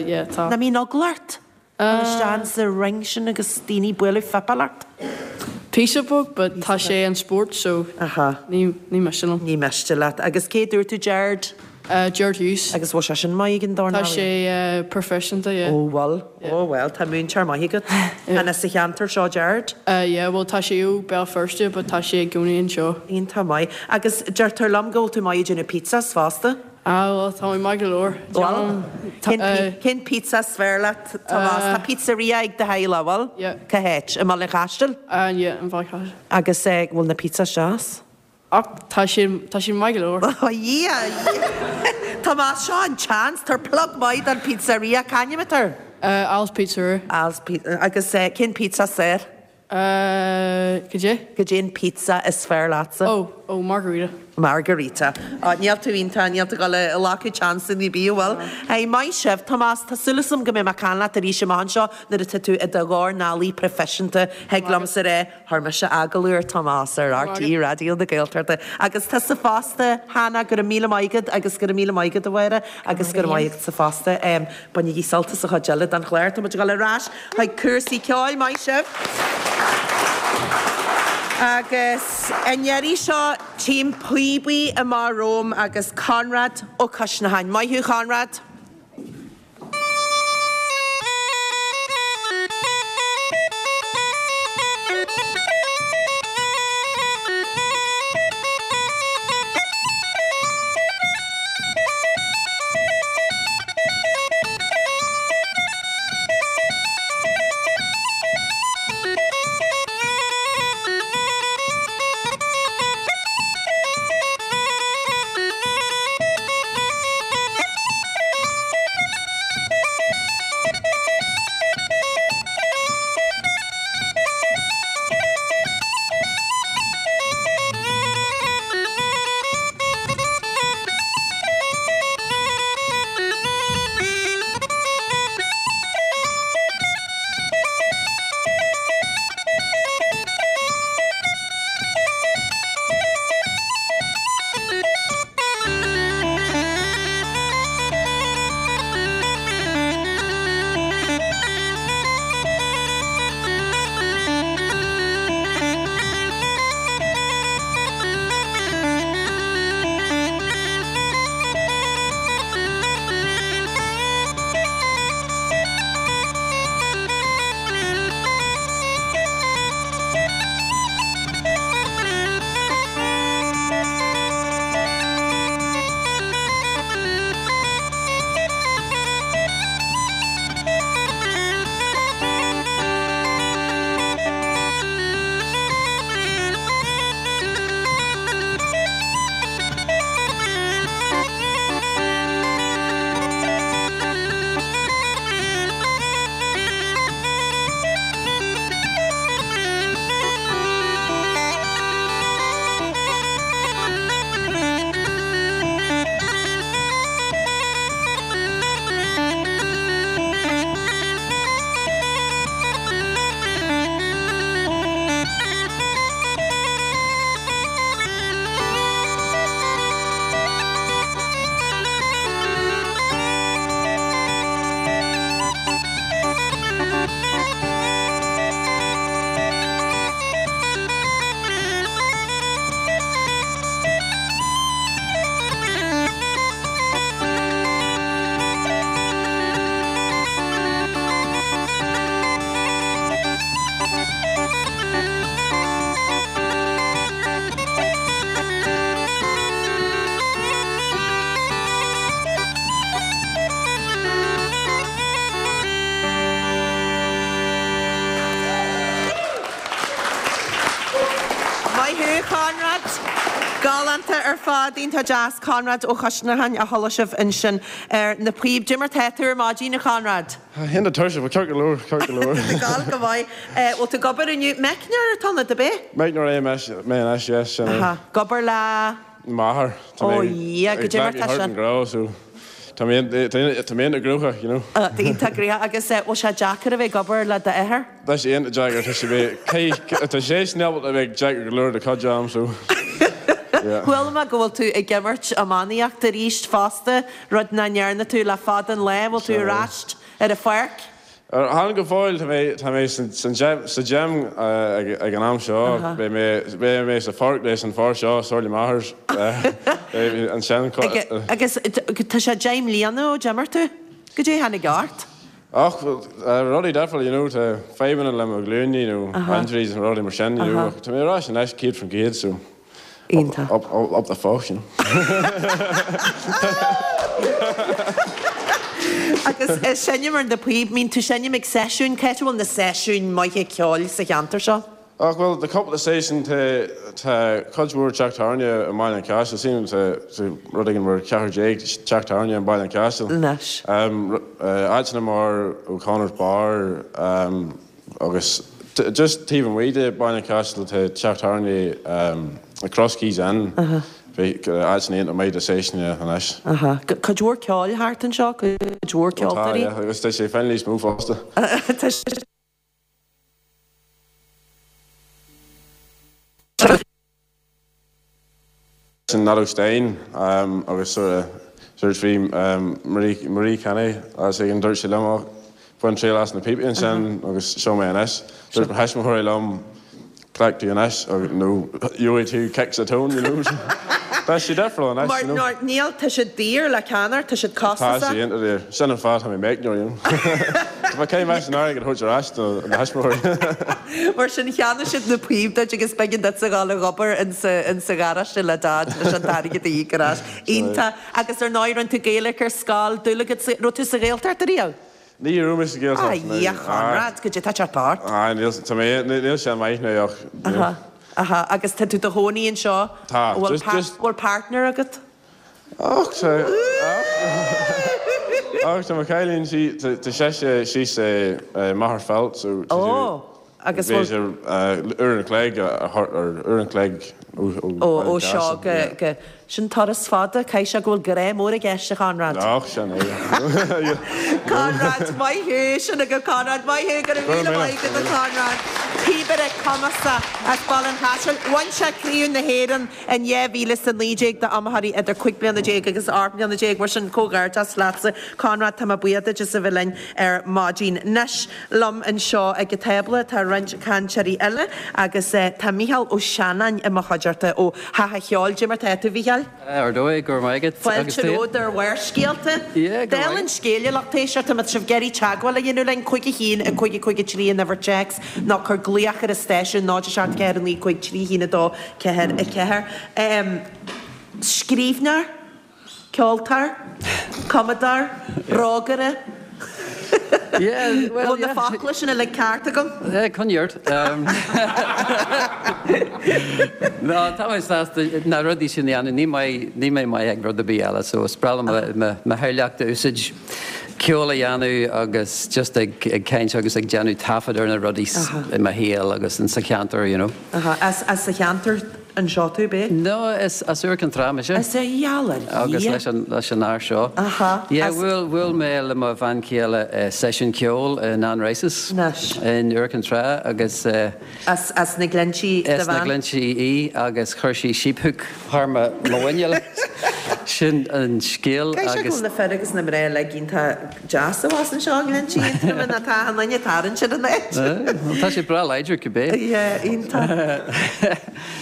Yeah, tá.
Nach mbíonn eagla ort? Dul isteach sa ring sin agus daoine ag bualadh fuipeáil ort?
Píosa beag, but tá sé an spórt so ní ní miste liom.
Ní miste leat. Agus cé dúirt tú Gerard?
Gerard Hughes.
Agus bhfuil sé sin maith ag an dornálaí?
Tá sé proifisiúnta, yeah.
Ó bhfuil, ó bhuel, tá múinteoir maith agat. An as sa cheantar seo Gerard?
Yeah, bhuel tá sé ó Béal Feirste but tá sé i gcónaí anseo.
Iontach maith. Agus deirtear liom go bhfuil tú maith ag déanamh pizzas fosta?
Ah, bhuel, tá mé maith go leor.
Bhuel, cén pizza is fearr leat, Tomás? Tá pizzeria ag do theaghlach, bhfuil?
Yeah.
Cá háit? I mBaile an Chaistil?
Ah, yeah, i mBaile an Chaistil.
Agus bhfuil na pizzas deas?
Ach, tá siad, tá siad maith go leor.
Oh, yeah, yeah. Tomás, seo an chance, tabhair plug maith don pizzeria, c'ainm atá air?
Al's Pizzeria.
Al's Pizzeria. Agus cén pizza is fearr?
Cad é?
Cad é an pizza is fearr leatsa?
Oh, oh, margarita.
Margarita. Oh, níl tú iontach, níl tú ag dul a ghlacadh chance ar bith, bhfuil? Hey, maith sibh. Tomás, tá súil agam go mbeidh mé ag caint leat arís amach anseo nuair atá tú i do dhornálaí proifisiúnta. Thig liomsa a rá, chuir mise agallamh ar Tomás ar RTÉ Raidió na Gaeltachta. Agus tusa fosta, Hannah, go raibh míle maith agat agus go raibh míle maith agat, a Mháire, agus go raibh maith agatsa fosta. Bainigí sult as an chuid eile den chlár. Tá muid ag dul ar ais chuig cúrsaí ceoil. Maith sibh. Agus an iarraidh seo, tchím píobaí amach romham agus Conrad Ó Coisneacháin. Maith thú, Conrad. Maith thú, Conrad! Galánta ar fad, iontach deas, Conrad Ó Coisneacháin a chuala sibh ansin ar na píob. Cad é mar tá tú ar maidin, a Chonrad?
Iontach tuirseach, but ceart go leor, ceart go leor.
Ag gabháil go maith. Bhfuil tú ag obair inniu? Meicneoir atá ionat, ab é?
Meicneoir é mé anois, yes, sin é.
Aha, ag obair le.
M'athair. Tá
Ó
mé
Dhia,
ag
cad é mar
glacadh
tá
thart
sin?
an gnó, so tá mé tá mé iontach gnóthach, you know.
Iontach gnóthach agus bhfuil sé deacair a bheith ag obair le d'athair?
Tá sé iontach deacair, tá sé bheith, tá sé sin ábalta a bheith deacair go leor do chuid am, so yeah.
Chuala mé go bhfuil tú ag imirt iománaíocht arís fosta, rud nach ndearna tú le fada an lá, bhfuil tú ar ais ar an pháirc?
Chan go fóill, tá mé tá mé san sa gym ag an am seo, beidh mé beidh mé sa pháirc leis an fear seo, Somhairle Mathers, ansin.
Agus tá sé deich mbliana ó d'imir tú? Cad é a tháinig ort?
Ach rudaí difriúla, you know, tá fadhbanna le mo ghlúine nó injuries and rudaí mar sin, you know, ach tá mé ar ais anois céad faoin gcéad so.
Iontach.
Up, up, up the fuck, you know.
Agus seinm ar na píob, mbíonn tú seinm ag seisiúin, cá háit a bhfuil na seisiúin maithe ceoil sa cheantar seo?
Ach bhuel, tá cúpla seisiún, tá tá cuid mhór teach tábhairne i mBaile an Chaistil, sílim tá tá rud éigin mar ceathair déag teach tábhairne i mBaile an Chaistil.
Anois.
Áiteanna mar O'Connor's Bar agus just taobh amuigh de Baile an Chaistil tá teach tábhairne The Cross Keys Inn, áiteanna iontach maith do seisiúin anois.
Aha. Cuid mhór ceoil thart anseo, cuid mhór
Tá,
ceoltóirí.
yeah, agus tá sé féin níos mó fosta.
Tá sé.
Sin Nato Stein agus sort of sort bhí Marie Marie Kenny as ag an dúirt sí liom ach bain triail as na píopaí ansin agus seo mé anois. Dúirt mo thuismitheoirí liom cleacht tú anois agus nó gheobhaidh tú cic sa tóin, you know. Tá sé difriúil anois,
Mar
you know.
mar níl tá siad daor le ceannacht, tá siad
Tá
costasach.
sé iontach daor. Sin an fáth tá mé meicneoir, you know. Tá mé caithfidh mé an airgead a thabhairt ar ais do na thuismitheoirí.
Mar sin cheannaigh siad na píob duit agus b'éigean duit a ghabháil ag obair insa insa gharáiste le Dad leis an t-airgead a íoc ar ais. Iontach. Agus ar ndóigh rinne tú Gaeilge ar scoil, dúil agat sa raibh tú sa Ghaeltacht ariamh?
Ní raibh mé sa Ghaeltacht,
A Dhia Chonrad, cad é tá teacht ort?
Ah, níl tá mé níl sé maith now ach you know.
Aha, aha. Agus tá tú do chónaí anseo?
Tá,
Bhfuil
just
pa
just
bhfuil partner agat?
Ach tá ach tá mo chailín sí tá sise síos i Magherafelt so tá sí
Ó, agus
bhí
bhfuil
sé uair an chloig a thart ar uair an chloig ó ó
Ó
Bhaile
ó
an
seo
Chaistil,
go
yeah.
go sin turas fada, caithfidh sé go bhfuil grá mór i gceist a Chonrad.
Ach sin é.
Conrad, maith thú, sin agat Conrad, maith thú, go raibh
Go raibh
míle
míle.
maith agat a Chonrad. Píobaire cumasach as Baile an Chaistil. Bhain sé Craobh na hÉireann in dhá mhíle is a naoi déag d'iomaitheoirí idir cúig bliana déag agus ocht mbliana déag, mar sin comhghairdeas leatsa Conrad, tá mé buíoch duit as a bheith linn ar maidin. Anois liom anseo ag an tábla tá roinnt cainteoirí eile agus tá Mícheál Ó Seanáin i mo chuideachta ó Theach an Cheoil. Cad é mar tá tú, Mhícheáil?
Ar dóigh, go raibh maith agat.
Fáilte romhat ar Bharrscéalta.
Yeah, go
Dála
raibh.
an scéil, a lucht éisteachta, má tá sibh ag iarraidh teagmháil a dhéanamh linn, cúig a haon, a cúig a cúig a trí an uimhir téacs, nó cuir glaoch ar an stáisiún, náid a seacht ceathair a naoi cúig trí haon a dó ceathair a ceathair. Scríbhneoir, ceoltóir, cumadóir, rógaire.
Yeah, well,
Bhfuil na
yeah.
focla sin uilig ceart agam?
Yeah, coinnigh ort. Um, no, tá mé sásta na rudaí sin a dhéanamh, ní maith ní mé maith ag rud ar bith eile, so is breá liom mo mo theaghlach a úsáid ceol a dhéanamh agus just ag ag caint agus ag déanamh taifead ar na rudaí i mo shaol agus in sa cheantar, you know.
Aha, as as sa cheantar anseo tú, b'é?
No, is as Iúr Cinn Trá mise.
Is é gheall ar
Agus
Dhia.
leis an leis an fhear seo.
Aha,
Yeah,
as-
bhuail bhuail mé le mo bhean chéile uh, seisiún ceoil in Anne Rice's
Anois.
in Iúr Cinn Trá agus uh,
As as na Glinntí do
As na
bhean?
Glinntí í agus chuir sí sheephook thar mo mo mhuineál. Sin an scéal
Caithfidh sé go
agus
bhfuil na fir agus na mná uilig iontach deas abhus anseo i nGlinntí Aontroma ná tá an duine tarraingt ar an áit.
Eh, Tá sé breá láidir cibé.
Yeah, iontach.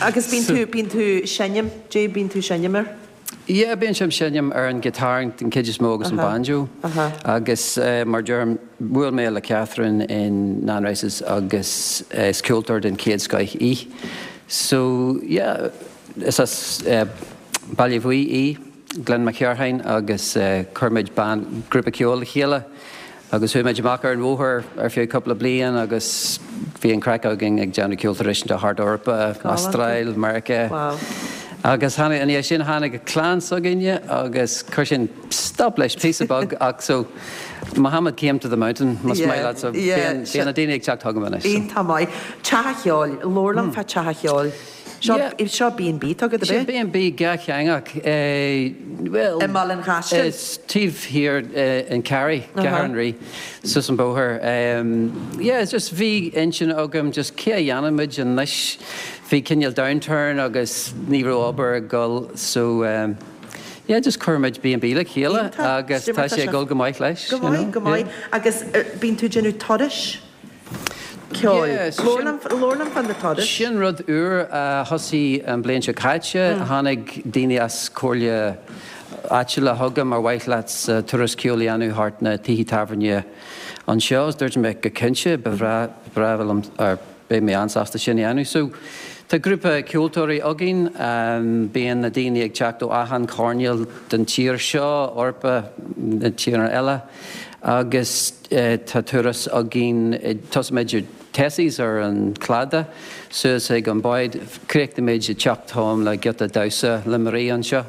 Agus bíonn tú bíonn tú seinm, Dé bíonn tú seinm air?
Yeah, bíonn sé seinm ar an guitar den chuid is mó agus an
Aha.
banjo.
Aha.
Agus uh, mar deirim bhuail mé le Catherine in Nan Rice's agus uh, is ceoltóir den chéad scoth í. So yeah, is as uh, Baile Bhuí í, Glen Mac Cearthain agus uh, chuir muid ban grúpa ceoil le chéile. Agus chuaigh muid amach ar an bhóthar ar feadh cúpla bliain agus bhí an craic againn ag déanamh ceol traidisiúnta thart Eorpa,
Galánta.
Astráil, Meiriceá.
Wow.
Agus tháinig, ina dhiaidh sin tháinig an clann s'againne agus chuir sin stop leis píosa beag ach so Muhammad came to the mountain más maith leat so bíonn bíonn na daoine ag teacht chugam anois.
Iontach maith. Teach an Cheoil, labhair liom fá Teach an Cheoil. Seo seo B and B atá agat, ab
Sin
é?
B and B dhátheangach. Bhuel,
I mBaile an Chaistil?
Is taobh thiar in Carey, Ceathrú an Rí, suas an bóthar. Yeah, it's just bhí intinn agam just cé a dhéanann muid anois. Bhí cineál downturn agus ní raibh obair ag dul so yeah, just chuir muid B and B le chéile
Iontach.
agus tá sé ag dul go maith leis,
Go
you know,
maith, go maith.
yeah.
Agus bíonn tú ag déanamh turais ceoil.
Yeah, so
Labhair
sin-
liom, labhair liom fá na turais.
Sin rud úr a thosaigh an bhliain seo caite. Tháinig daoine as comhairle áitiúla chugam ar mhaith leat turas ceoil a dhéanamh thart na tithe tábhairne anseo. Is dúirt mé go cinnte, ba bhreá, ba bhreá liom, or beidh mé an-sásta sin a dhéanamh. So tá grúpa ceoltóirí againn, bíonn na daoine ag teacht ó achan choirnéal den tír seo, Eorpa, na tíortha eile agus tá turas againn, tosaímid i Tessie's ar an cladach suas ag an bád, críochnaímid i dTeach Tom le giota damhsa le Marie anseo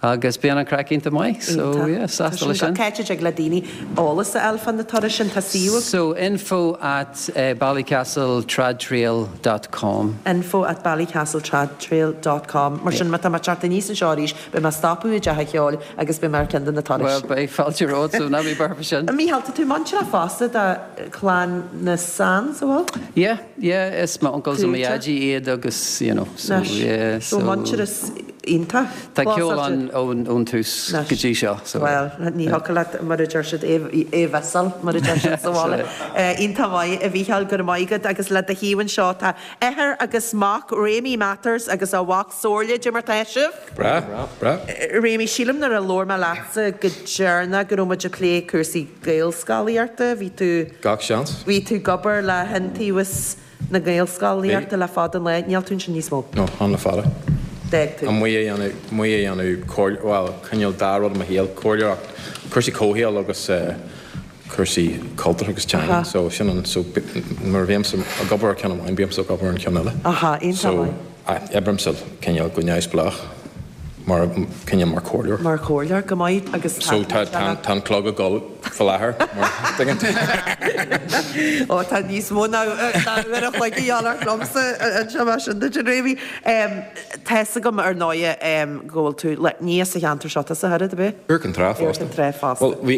agus bíonn an craic iontach maith so yeah, sásta leis sin.
Cá háit a dtig le daoine eolas a fháil fá na turais sin? Tá suíomh agat?
So info at ballycastletradtrail dot com.
Info at ballycastletradtrail dot com. Mar sin má tá mé ag teacht aníos anseo arís, beidh mé ag stopadh i dTeach an Cheoil agus beidh mé ar ceann de na turais.
Bhuel, beidh fáilte romhat, so ná bí buartha faoi sin.
A Mhícheáil, tá tú muinteartha fosta do chlann na Sands, an bhfuil?
Yeah, yeah, is mo uncles and mo dhaidí iad agus, you know, so yeah,
So
so.
muintearas iontach.
Tá ceol ann ón tús go dtí seo, so.
Bhuel, ní thiocfadh leat, mar a deir siad, é a mhissáil, mar a deir siad sa bhaile. Iontach maith, a Mhícheáil, go raibh maith agat agus le do thaobh anseo tá athair agus mac, Réamaí Matters agus a mhac Somhairle, Cad é mar tá sibh?
Breá, breá.
Réamaí, sílim nuair a labhair mé leatsa go deireanach go raibh muid ag plé cúrsaí Gaelscolaíochta, bhí tú.
Gach seans.
Bhí tú ag obair le hIontaobhas na Gaelscolaíochta le fada an lá, níl tú ansin níos mó?
No, an le fada.
D'fhág tú.
Amuigh a dhéanamh, amuigh a dhéanamh comhairle, bhuel, cineál dá rud i mo shaol, comhairleoireacht, cúrsaí comhshaoil agus cúrsaí cultúrtha agus teanga.
Aha.
So sin an, so nuair a bhímse ag obair ar ceann amháin, bímse ag obair ar an cheann eile.
Aha, iontach
So
maith.
oibrímse cineál go neamhspleách mar, cineál mar chomhairleoir.
Mar chomhairleoir, go maith agus
So tá, tá, tá an clog ag dul faoi láthair, mar, tuigeann tú.
Ó, tá níos mó ná ná uair a chloig a dhíobháil ort liomsa anseo mar sin duit, a Réamaí. Tá fhios agam ar ndóighe go bhfuil tú le, ní as an cheantar seo tusa, Herod, ab é?
Iúr Cinn Trá
Iúr
fosta.
Cinn Trá fosta.
Bhuel, bhí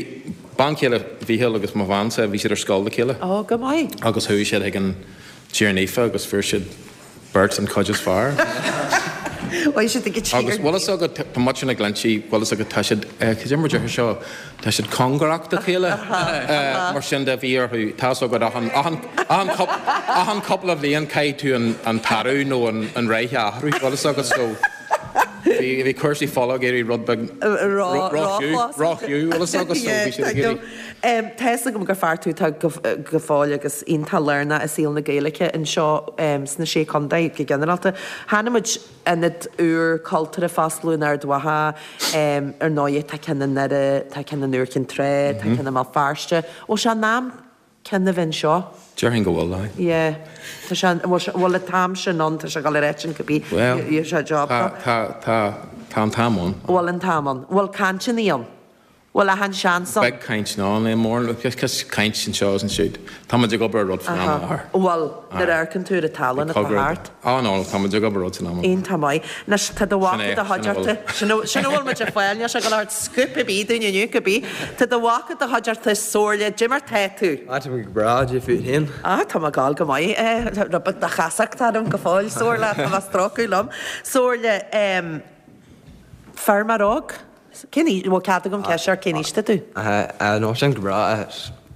bean chéile Mhíchíl agus mo bheansa, bhí siad ar scoil le chéile.
Ó, go maith.
Agus chuaigh siad chuig an Tír Naofa agus fuair siad beirt an chuid is fearr.
Bhí siad ag an Tír
Agus bhfuil fhios agat, tá muid na Glinntí, bhfuil fhios agat, tá siad, cad é mar deirtear seo, tá siad cóngarach dá chéile. Mar sin de bhí orthu, tá fhios agat achan, achan, achan cúp, achan cúpla bhliain caithfidh tú an, an t-athrú nó an, an reithe a athrú, bhfuil fhios agat, so bhí, bhí cúrsaí fola ag éirí rud beag
Ró,
ró-thiú, ró-thiú, bhfuil fhios agat, so bhí siad ag éirí.
Tá fhios agam gur fear tú atá go, go fóill agus iontach lárnach i saol na Gaeilge anseo sna Sé Chontae go ginearálta. Chonaic muid ionad úr cultúrtha ag foscladh in Ard Mhacha, ar ndóighe tá ceann i nDoire, tá ceann in Iúr Cinn Trá, tá ceann i mBéal Feirste. Bhfuil sé in am ceann a bheith anseo?
Déarfainn go bhfuil, aye.
Yeah. Tá sé, bhfuil sé, bhfuil an t-am sin ann, tá sé ag dul ar eitinn cibé,
Well,
sé job
tá, tá, tá, tá an t-am ann.
Bhfuil an t-am ann. Bhfuil cainteanna ann? Bhfuil achan seans ann?
Beidh caint ná níl mórán, just caint anseo is ansiúd. Tá muid ag obair ar rud faoin am i láthair.
Bhfuil, nuair a amharcann tú ar an tallann atá thart.
Á no, tá muid ag obair ar rud san am i láthair.
Iontach maith. Anois, tá do mhac
Sin é,
i do
sin a bhfuil.
chuideachta, sin a sin a bhfuil muid ag fáil, níl sé ag dul a thabhairt scoop ar bith dúinn inniu, cibé. Tá do mhac i do chuideachta, Somhairle, cad é mar tá tú?
Á, tá mé go breá, cad é fút féin.
Á, tá mé ag gabháil go maith. Rud beag de chasacht orm go fóill, Somhairle, tá mé ag stróiceadh liom. Somhairle, feirmeoir óg? Cén aois, bhfuil cead agam ceist ort, cén aois atá tú?
No, sin go breá,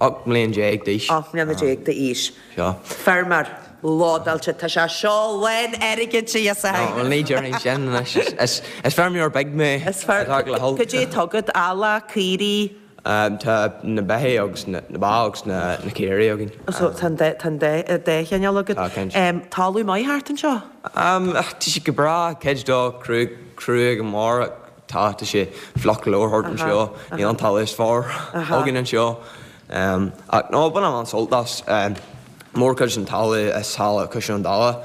ocht mbliana déag d'aois.
Ocht mbliana déag d'aois.
Seo.
Feirmeoir, lódáilte, tá sé seo lán airgid a fhios
No, well ní déarfainn sin anois, is is feirmeoir beag mé.
Is fear, cad é atá agat, eallach, caoirigh?
Tá na beithígh agus na ba agus na caoirigh againn.
So tá an dá tá an dá dá chineál agat.
Tá, cinnte.
Talamh maith thart anseo?
Tá sé go breá, cuid dó crua crua go mór. Tá, tá sé fliuch go leor thart anseo, níl an talamh is fearr againn anseo. Ach no, bainim an-sult as. Mórchuid den talamh is thall i Caisleán Dála,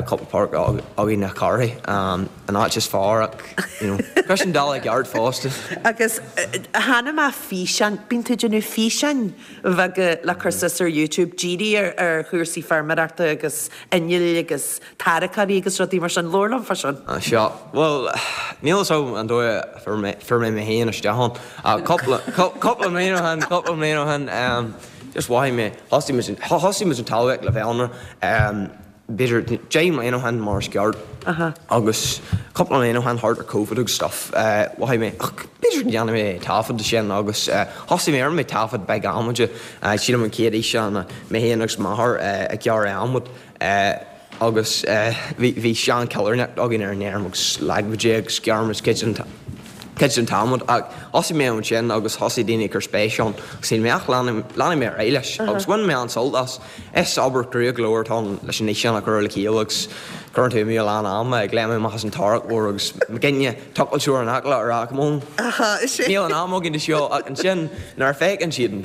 cúpla páirc againn na Carraí, an áit is fearr ach, you know, Caisleán Dála i gceart fosta.
Agus chonaic mé físeán, bíonn tú ag déanamh físeáin bheaga le cur suas ar YouTube, dírithe ar chúrsaí feirmeoireachta agus innill agus tarracóirí agus rudaí mar sin, labhair liom fá sin.
Sea, bhuel, níl a fhios agam an dóigh a fuair mé mé féin isteach ann ach cúpla, cúpla bliain ó shin, cúpla bliain ó shin, Just mhothaigh mé, thosaigh muid, thosaigh muid an talmhaíocht le bheith ann, b'fhéidir deich mbliana ó shin mar is ceart agus cúpla bliain ó shin thart ar Covid agus stuff, mhothaigh mé, ach b'fhéidir go ndéanfaidh mé taifead de sin agus thosaigh mé, rinne mé taifead beag adhmaid, sílim an chéad fhíseán mé féin agus m'athair ag gearradh adhmad. Agus bhí, bhí sean-choillearnach againn ar an fheirm agus leag muid é agus ghearr muid cuid den, cuid den t-adhmad. Ach thosaigh mé ansin agus thosaigh daoine ag cur spéis ann agus shíl mé ach leanfaidh, leanfaidh mé ar aghaidh leis agus bhain mé an-sult as. Is obair chrua go leor atá ann leis an fhíseán a chur le chéile agus cuireann tú amú a lán ama ag léim amach as an tarracóir agus muidne tochailteoir in aice leat ag rá come on, níl an am againn do seo ach ansin nuair a fheiceann siad an,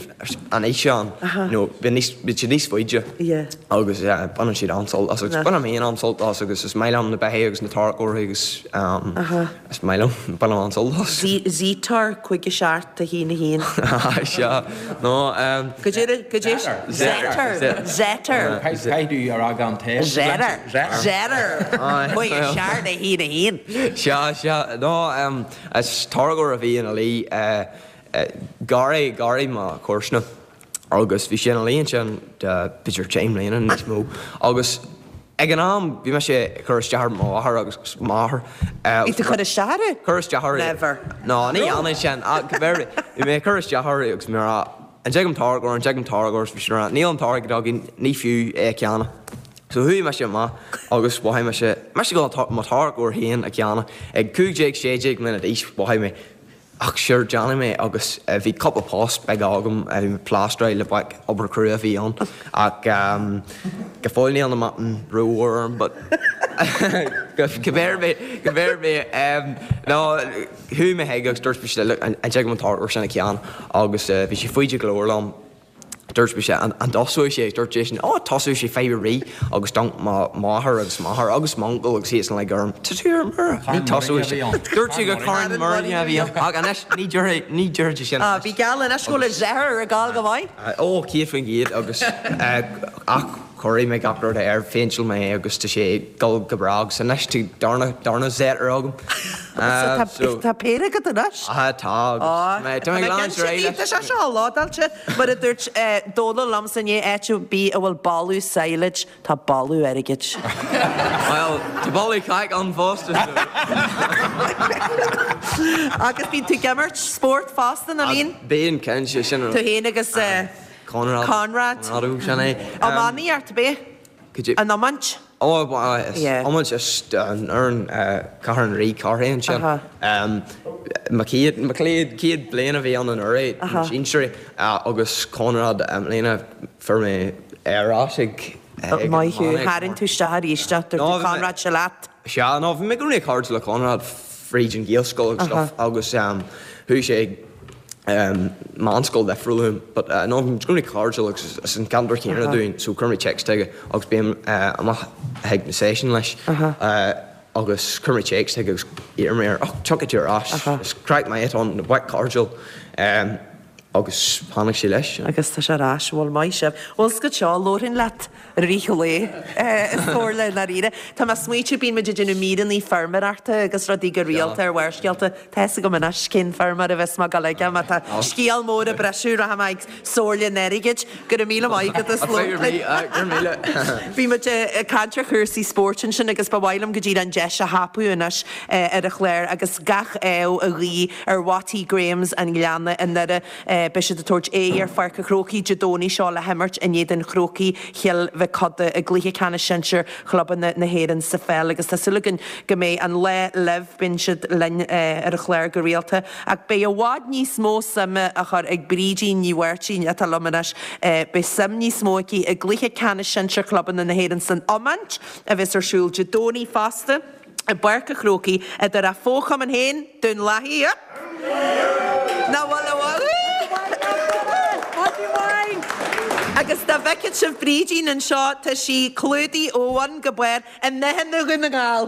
an fhíseán you know bíonn níos, bíonn siad níos faide agus baineann siad an-sult as agus bainim féin an-sult as agus is maith liom na beithígh agus na tarracóirí agus is maith liom, bainim an-sult as.
Zetor cúig a seacht a haon a haon.
Sea, no.
Go dté, go dté, Zetor, Zetor.
Caithfidh tú a rá gan T.
Zetor, Zetor, cúig a seacht a haon a haon.
Sea, sea, no, is tarracóir a bhí ina luí. Garraí, garraí mo chomharsana agus bhí sé ina luí ansin b'fhéidir deich mbliana níos mó agus ag an am bhí mise ag cur isteach ar mo mháthair agus m'athair.
Bhí tú ag cur isteach orthu?
Cur isteach orthu.
Never.
No, ní dhéanfainn sin ach bhí mé ag cur isteach orthu agus mé ag rá an dtig an tarracóir, an dtig an tarracóir agus bhí siad ag rá níl an t-airgead againn, ní fiú é a cheannach. So chuaigh mise amach agus mhothaigh mise, mise ag dul mo tharracóir féin a cheannach ag cúig déag, sé déag mbliana d'aois mhothaigh mé Ach sure, déanfaidh mé agus bhí cúpla post beag agam, bhí mé ag plástráil le baic, obair chrua a bhí ann ach go fóill níl na matáin rómhór orm but cibé ar bith, cibé ar bith, no, chuaigh mé chuig agus dúirt mise look, an dtig liom an tarracóir sin a cheannach agus bhí sé faide go leor liom. Dúirt mise, an dtosóidh sé? Dúirt seisean, Ó, tosóidh sé fadhb ar bith agus d'amharc mo mháthair agus m'athair agus m'uncail agus iadsan like orm, Tá tú ar mire, ní tosóidh sé. Dúirt sé gur carn muiríne a bhí ann ach anois ní déarfaidh, ní déarfaidh sé sin
anois. Bhí geall anois go bhfuil a Zetor ag gabháil go maith.
Ó, céad faoin gcéad agus ach chóirigh mé gach rud air, phéinteáil mé é agus tá sé ag dul go breá agus anois tá darna, darna Zetor agam.
So tá péire agat anois?
Tá, tá agus tá mé ag leanúint ar aghaidh leis.
Tá sé seo lódáilte, mar a dúirt Dónal liomsa inné, áit ar bith a bhfuil boladh silage, tá boladh airgid.
Bhuel, tá boladh cac ann fosta so.
Agus bíonn tú ag imirt spórt fosta, nach mbíonn?
Bíonn, cinnte, sin
Tú féin agus
Conrad.
Conrad.
Conrad, sin é.
Iománaíocht, ab é? An iomáint?
Ó, is iomáint is an fhoireann Cathair an Rí, Carthaigh ansin. Mo chéad, mo chéad, chéad bliain a bhí ann anuraidh, na sinsearaí, agus Conrad i mbliana fuair mé ar ais ag ag
Maith thú, tharraing tú isteach arís é, dúirt tú Conrad, seo leat.
Sea, no, bhí mé i gcónaí cairdiúil le Conrad fríd an Ghaelscoil agus stuff agus chuaigh sé ag meánscoil difriúil uaim but no bhí muid i gcónaí cairdiúil agus is an ceantar céanna dúinn so chuir mé text chuige agus bím amach chuig na seisiúin leis agus chuir mé text chuige agus d'iarr mé air oh tiocfaidh tú ar ais is craic maith atá ann na boic cairdiúil agus tháinig sé leis.
Agus tá sé ar ais, bhuel maith sibh. Bhuel scoth seo, labharfainn leat i rith an lae is dóigh le i ndáiríre. Tá mé ag smaoitiú, bíonn muid ag déanamh míreanna feirmeoireachta agus rudaí go rialta ar Bharrscéalta. Tá fhios agam anois cén feirmeoir a bheas mé ag dul aige má tá scéal mór ag briseadh, rachaidh mé ag Somhairle an Airgid. Go raibh míle maith agat as labhairt linn. Bhí muid ag caint ar chúrsaí spóirt ansin agus ba mhaith liom go díreach an deis a thapú anois ar an chlár agus gach ádh a ghuí ar Watty Grahams an Ghleanna i nDoire. Beidh siad ag tabhairt aghaidh ar Pháirc an Chrócaigh Dé Domhnaigh seo le himirt in éadan Chrócaigh Chill Mhic Coda i gcluiche ceannais sinsir chlubanna na hÉireann sa pheil agus tá súil againn go mbeidh an lá libh. Bíonn siad linn ar an chlár go rialta ach beidh i bhfad níos mó suime á chur ag Brídín Ní Mháirtín atá liom anois. Beidh suim níos mó aici i gcluiche ceannais sinsir chlubanna na hÉireann san iomáint a bheas ar siúl Dé Domhnaigh fosta i bPáirc an Chrócaigh idir a fho-chumann féin, Dún Lathaí. Nach bhfuil, an bhfuil? Agus dá bhfeicfeadh sibh Brídín anseo, tá sí clúdaithe ó bhun go barr i ndathanna Dhún na nGall.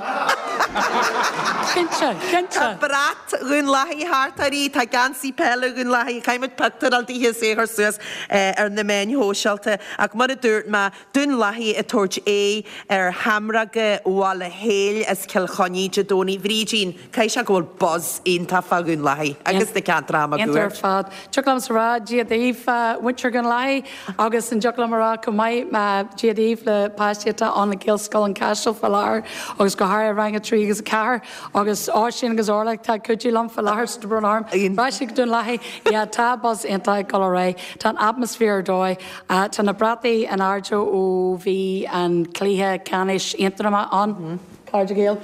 Cinnte, cinnte.
Tá brat Dhún Lathaí thart uirthi, tá geansaí peile Dhún Lathaí, caithfidh muid pictiúr a fháil dithe is é a chur suas ar na meáin shóisialta. Ach mar a dúirt mé, Dún Lathaí ag tabhairt aghaidh ar Sheamróga Bhaile Héil as Cill Chainnigh Dé Domhnaigh. Bhrídín, caithfidh sé go bhfuil buzz iontach fá Dhún Lathaí agus na ceantracha
Iontach ar
máguaird.
fad. Dtiocfadh liomsa a rá Dia daoibh muintir Dhún Lathaí agus an dtiocfadh liom a rá chomh maith Dia daoibh le páistí atá ann i Gaelscoil an Chaisil fá láthair agus go háirithe rang a trí agus a ceathair agus Oisín agus Orla atá ag cuidiú liom fá láthair sa brón orm. Rachaidh go Dún Lathaí. Yeah, tá buzz iontach ag dul ar aghaidh. Tá an atmaisféar ar dóigh. Tá na brataí in airde ó bhí an cluiche ceannais Aontroma ann, Cairde Gael,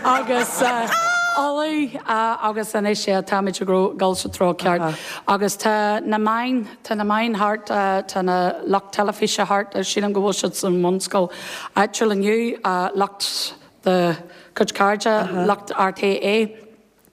agus Uladh agus anois yeah táimid ag dul sa treo ceart. Agus tá na meáin, tá na meáin thart, tá na lucht teilifíse thart, sílim go bhfuil siad sa mbunscoil áitiúil inniu, lucht do chuid cairde, lucht RTÉ.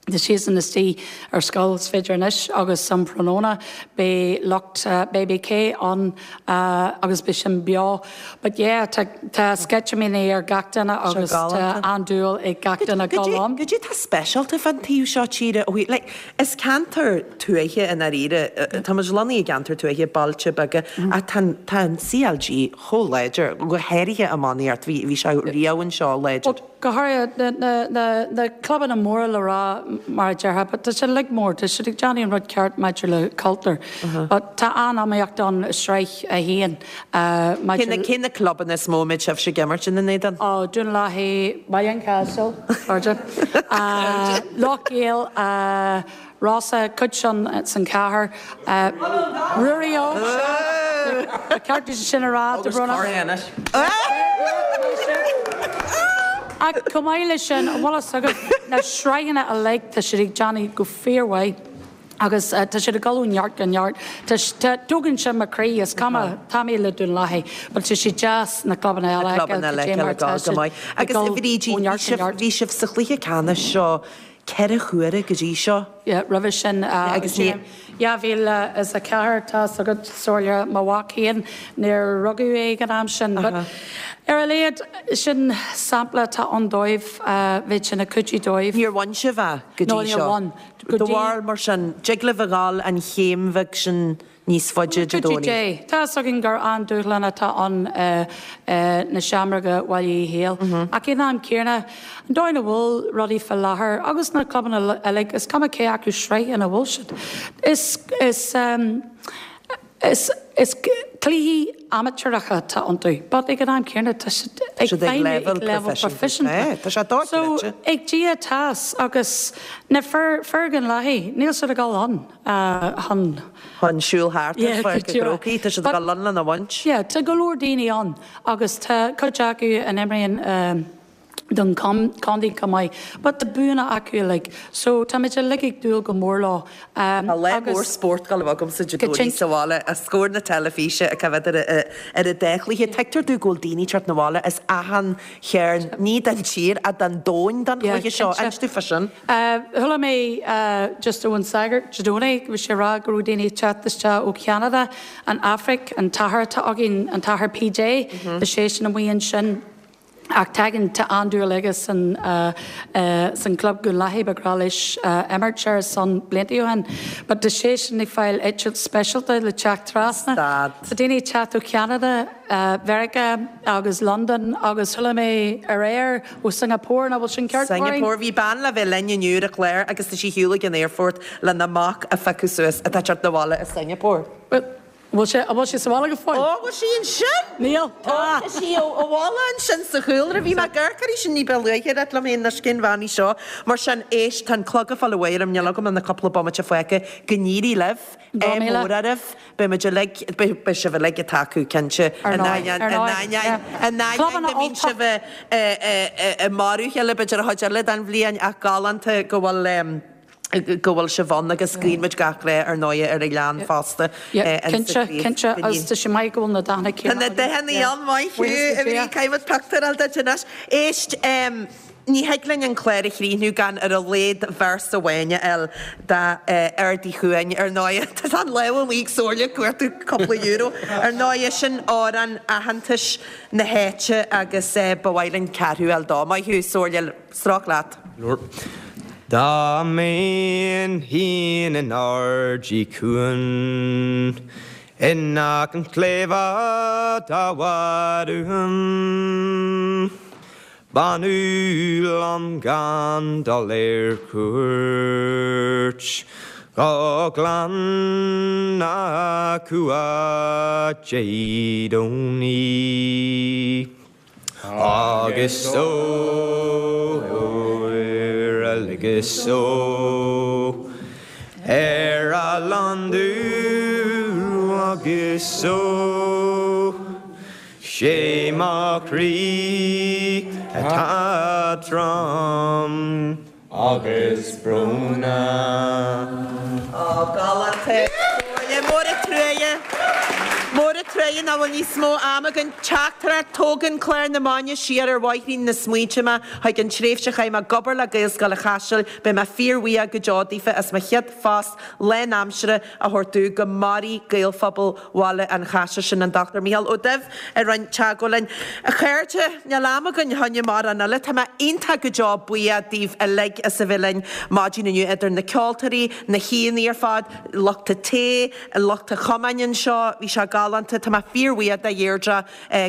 Tá siadsan istigh ar scoil is féidir anois agus um thráthnóna beidh lucht BBK ann agus beidh sin beo. But yeah tá tá sceitimíní ar gach duine agus tá an-dúil ag gach duine dul ann.
Goidé tá speisialta fán taobh seo tíre ó thaobh like is ceantar tuaithe i ndáiríre tá muid lonnaithe i gceantar tuaithe, bailte beaga ach tá tá an CLG chomh láidir, go háirithe iománaíocht, bhí bhí sé riamh anseo láidir.
Go háirithe na clubanna móra le rá mar a déarfá, but tá sé uilig mór, tá siad ag déanamh an rud ceart maidir le cultúr. But tá an-iomaíocht ann i Sraith a haon maidir le.
Cé na clubanna is mó a mbeidh sibhse ag imirt ina n-éadan?
Ó, Dún Lathaí, Baile an Chaisil, cairde, Loch Gcéil, Rossa, cuid sin san chathair, Ruairí Óg, ba cheart duit sin a rá,
Agus Corr anois.
Ach chomh maith leis sin, an bhfuil fhios agat, na sraitheanna uilig, tá siad ag déanamh go fíormhaith agus tá siad ag dul ó neart go neart. Tá, tá, tógann sin mo chroí, is cuma, tá mé le Dún Lathaí, but tá sé deas na clubanna eile
Na
a
clubanna
fheiceáil
eile
cad é
a
mar
fheiceáil
atá
ag dul go
siad
maith.
ag
Agus
dul
a Bhrídín,
ó
bhí
neart go
sibh,
neart.
bhí sibh sa chluiche ceannais seo ceithre huaire go dtí seo.
Yeah, roimhe sin,
Agus ní.
dhá mhíle is a ceathair, tá fhios agat, Somhairle, mo mhac féin, níor rugadh é ag an am sin, but ar a laghad, sin sampla atá ann dóibh, bheadh sin ag cuidiú dóibh.
Níor bhain sibh é go
No,
dtí
níor
seo.
bhain. Go
Do
dtí.
bharúil mar sin, dtig libh a ghabháil an chéim bheag sin níos faide Dé
Cuidiú
Domhnaigh.
Dé. Tá fhios againn gur an-dúshlán atá ann na Seamróga Bhaile Uí Héil. Ach ag an am céanna, an dóigh ina bhfuil rudaí fá láthair agus na clubanna uilig, is cuma cé acu sraith ina bhfuil siad, is, is, is, is cluichí amaitéaracha atá iontu. But ag an am céanna, tá siad ag
Siad ag
feidhmiú
leibhéal
ag leibhéal
proifisiúnta.
proifisiúnta.
Tá sé
So,
dochreidte.
ag Dia atá agus na fir, fir Dhún Lathaí, níl siad ag dul ann chun.
Chun siúl thart ar
Yeah,
pháirc
go
na
díreach.
gCrócaigh, tá siad ag
But
dul ann lena bhaint.
yeah, tá go leor daoine ann agus tá cuid acu a imríonn don contae chomh maith. But tá buanna acu uilig. So táimid uilig ag dúil go mór leo.
Tá lá mór spóirt ag dul a bheith agamsa Dé Domhnaigh sa bhaile os comhair na teilifíse ag coimhéad ar ar an dá chluiche. Tuigtear domh go bhfuil daoine ag teacht 'na bhaile as achan chearn, ní den tír ach den domhan don
Yeah,
chluiche seo.
cinnte.
Inis domh fá sin.
Chuala mé just ón sagart Dé Domhnaigh, bhí sé ag rá go raibh daoine ag teacht isteach ó Cheanada, an Afraic, an t-athair atá againn, an t-athair PJ, tá seisean amuigh ansin. Ach tagann tá an-dúil aige san san club Dhún Lathaí ba ghnách leis imirt ar a son blianta ó shin. But tá seisean ag fáil eitilt speisialta le teacht trasna. Tá daoine ag teacht ó Cheanada, Mheiriceá agus Londain agus chuala mé aréir ó Singapore nach bhfuil sin ceart Maureen?
Singapore. Bhí bean le bheith linn inniu ar an chlár agus tá sí ar shiúl ag an aerfort lena mac a phiocadh suas atá ag teacht 'na bhaile i Singapore.
Bhuel, bhfuil sé, an bhfuil sí sa bhaile go fóill?
Ó, bhfuil sí ansin?
Níl.
Ó, tá sí ó bhaile ansin sa chúlra. Bhí mé ag amharc uirthi sin ní ba luaithe ag rá liom féin anois cén bhean í seo. Mar sin, éist, tá an clog ag fáil uaidh orm, níl agam ach na cúpla bomaite fágtha. Go n-éirí libh.
Go
Ádh
míle.
mór oraibh. Beidh muid uilig, beidh, beidh sibh uilig ag tacú, cinnte.
Ar
In
ndóigh,
ainneoin,
ar
in
ndóigh,
ainneoin,
yeah.
in ainneoin
Clubanna
go mbíonn
Ultach.
sibh i, i, i, i marú a chéile b'fhéidir an chuid eile den bhliain ach galánta go bhfuil, em, go bhfuil sibh ann agus guíonn muid gach rath ar ndóigh ar an ghleann fosta.
Cinnte, cinnte, agus tá sé maith go bhfuil na dathanna
Tá na
céanna
dathanna
againn.
ann, maith thú,
Buíochas le
a Bhrí,
Dia.
caithfidh muid pictiúr a fháil duit anois. Éist, Ní thig linn an clár a chríochnú gan ar a laghad véarsa amháin a fháil d'Aird Uí Chuain. Ar ndóigh, tá an lámh amuigh ag Somhairle ag cuartú cúpla euro. Ar ndóigh, sin amhrán aitheantais na háite agus ba mhaith linn ceathrú a fháil dó. Maith thú, Somhairle, stróic leat.
Dá mbeinn féin in Aird Uí Chuain, in aice an tsléibhe atá i bhfad uaim, b'fhiú liom gan dul ar cuairt go Gleann na Cumha Dé Domhnaigh. Agus ó ar a ligeas ó ar a landú agus ó sé mo chroí atá trom agus brónach.
Ó, galánta. Mór an truaighe. Mór an truaighe nach bhfuil níos mó ama againn. Teachtaireacht, Tógann clár na maidine siar ar bhóithrín na smaointe mé chuig an tréimhse a chaith mé ag obair le Gaelscoil an Chaisil. Beidh mé fíorbhuíoch go deo daofa as mo chéad phost lánaimseartha a thabhairt domh. Go maire Gaelphobal Bhaile an Chaisil. Sin an Dochtúir Mícheál Ó Duibh a rinne teagmháil linn. A chairde, níl am againn fá choinne mórán eile. Tá mé iontach go deo buíoch daoibh uilig as a bheith linn maidin inniu, idir na ceoltóirí, na haíonna ar fad, lucht an tae, lucht an chumainn anseo. Bhí sé galánta. Tá mé fíorbhuíoch de Dheirdre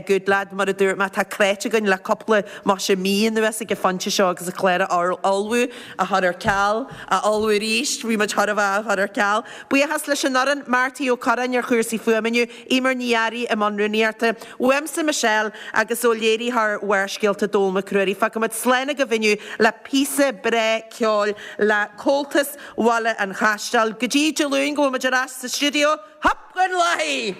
Goodlad, mar a dúirt mé, tá creidte againn le cúpla maise mí anuas ag an phointe seo agus an clár a ullmhú, a chur ar ceal, a ullmhú arís, bhí muid thar a bheith á chur ar ceal. Buíochas leis an fhoireann, Marty Ó Curráin ar chúrsaí fuaime inniu, Eimear Ní Fhearraigh i mbun rúnaíochta, uaimse Michelle agus ó léiritheoir Bharrscéalta Dónall Mac Ruairí. Fágfaimid slán agaibh inniu le píosa breá ceoil le Comhaltas Bhaile an Chaisteil. Go dtí Dé Luain go bhfuil muid ar ais sa stiúideo, Hup gon Laoi!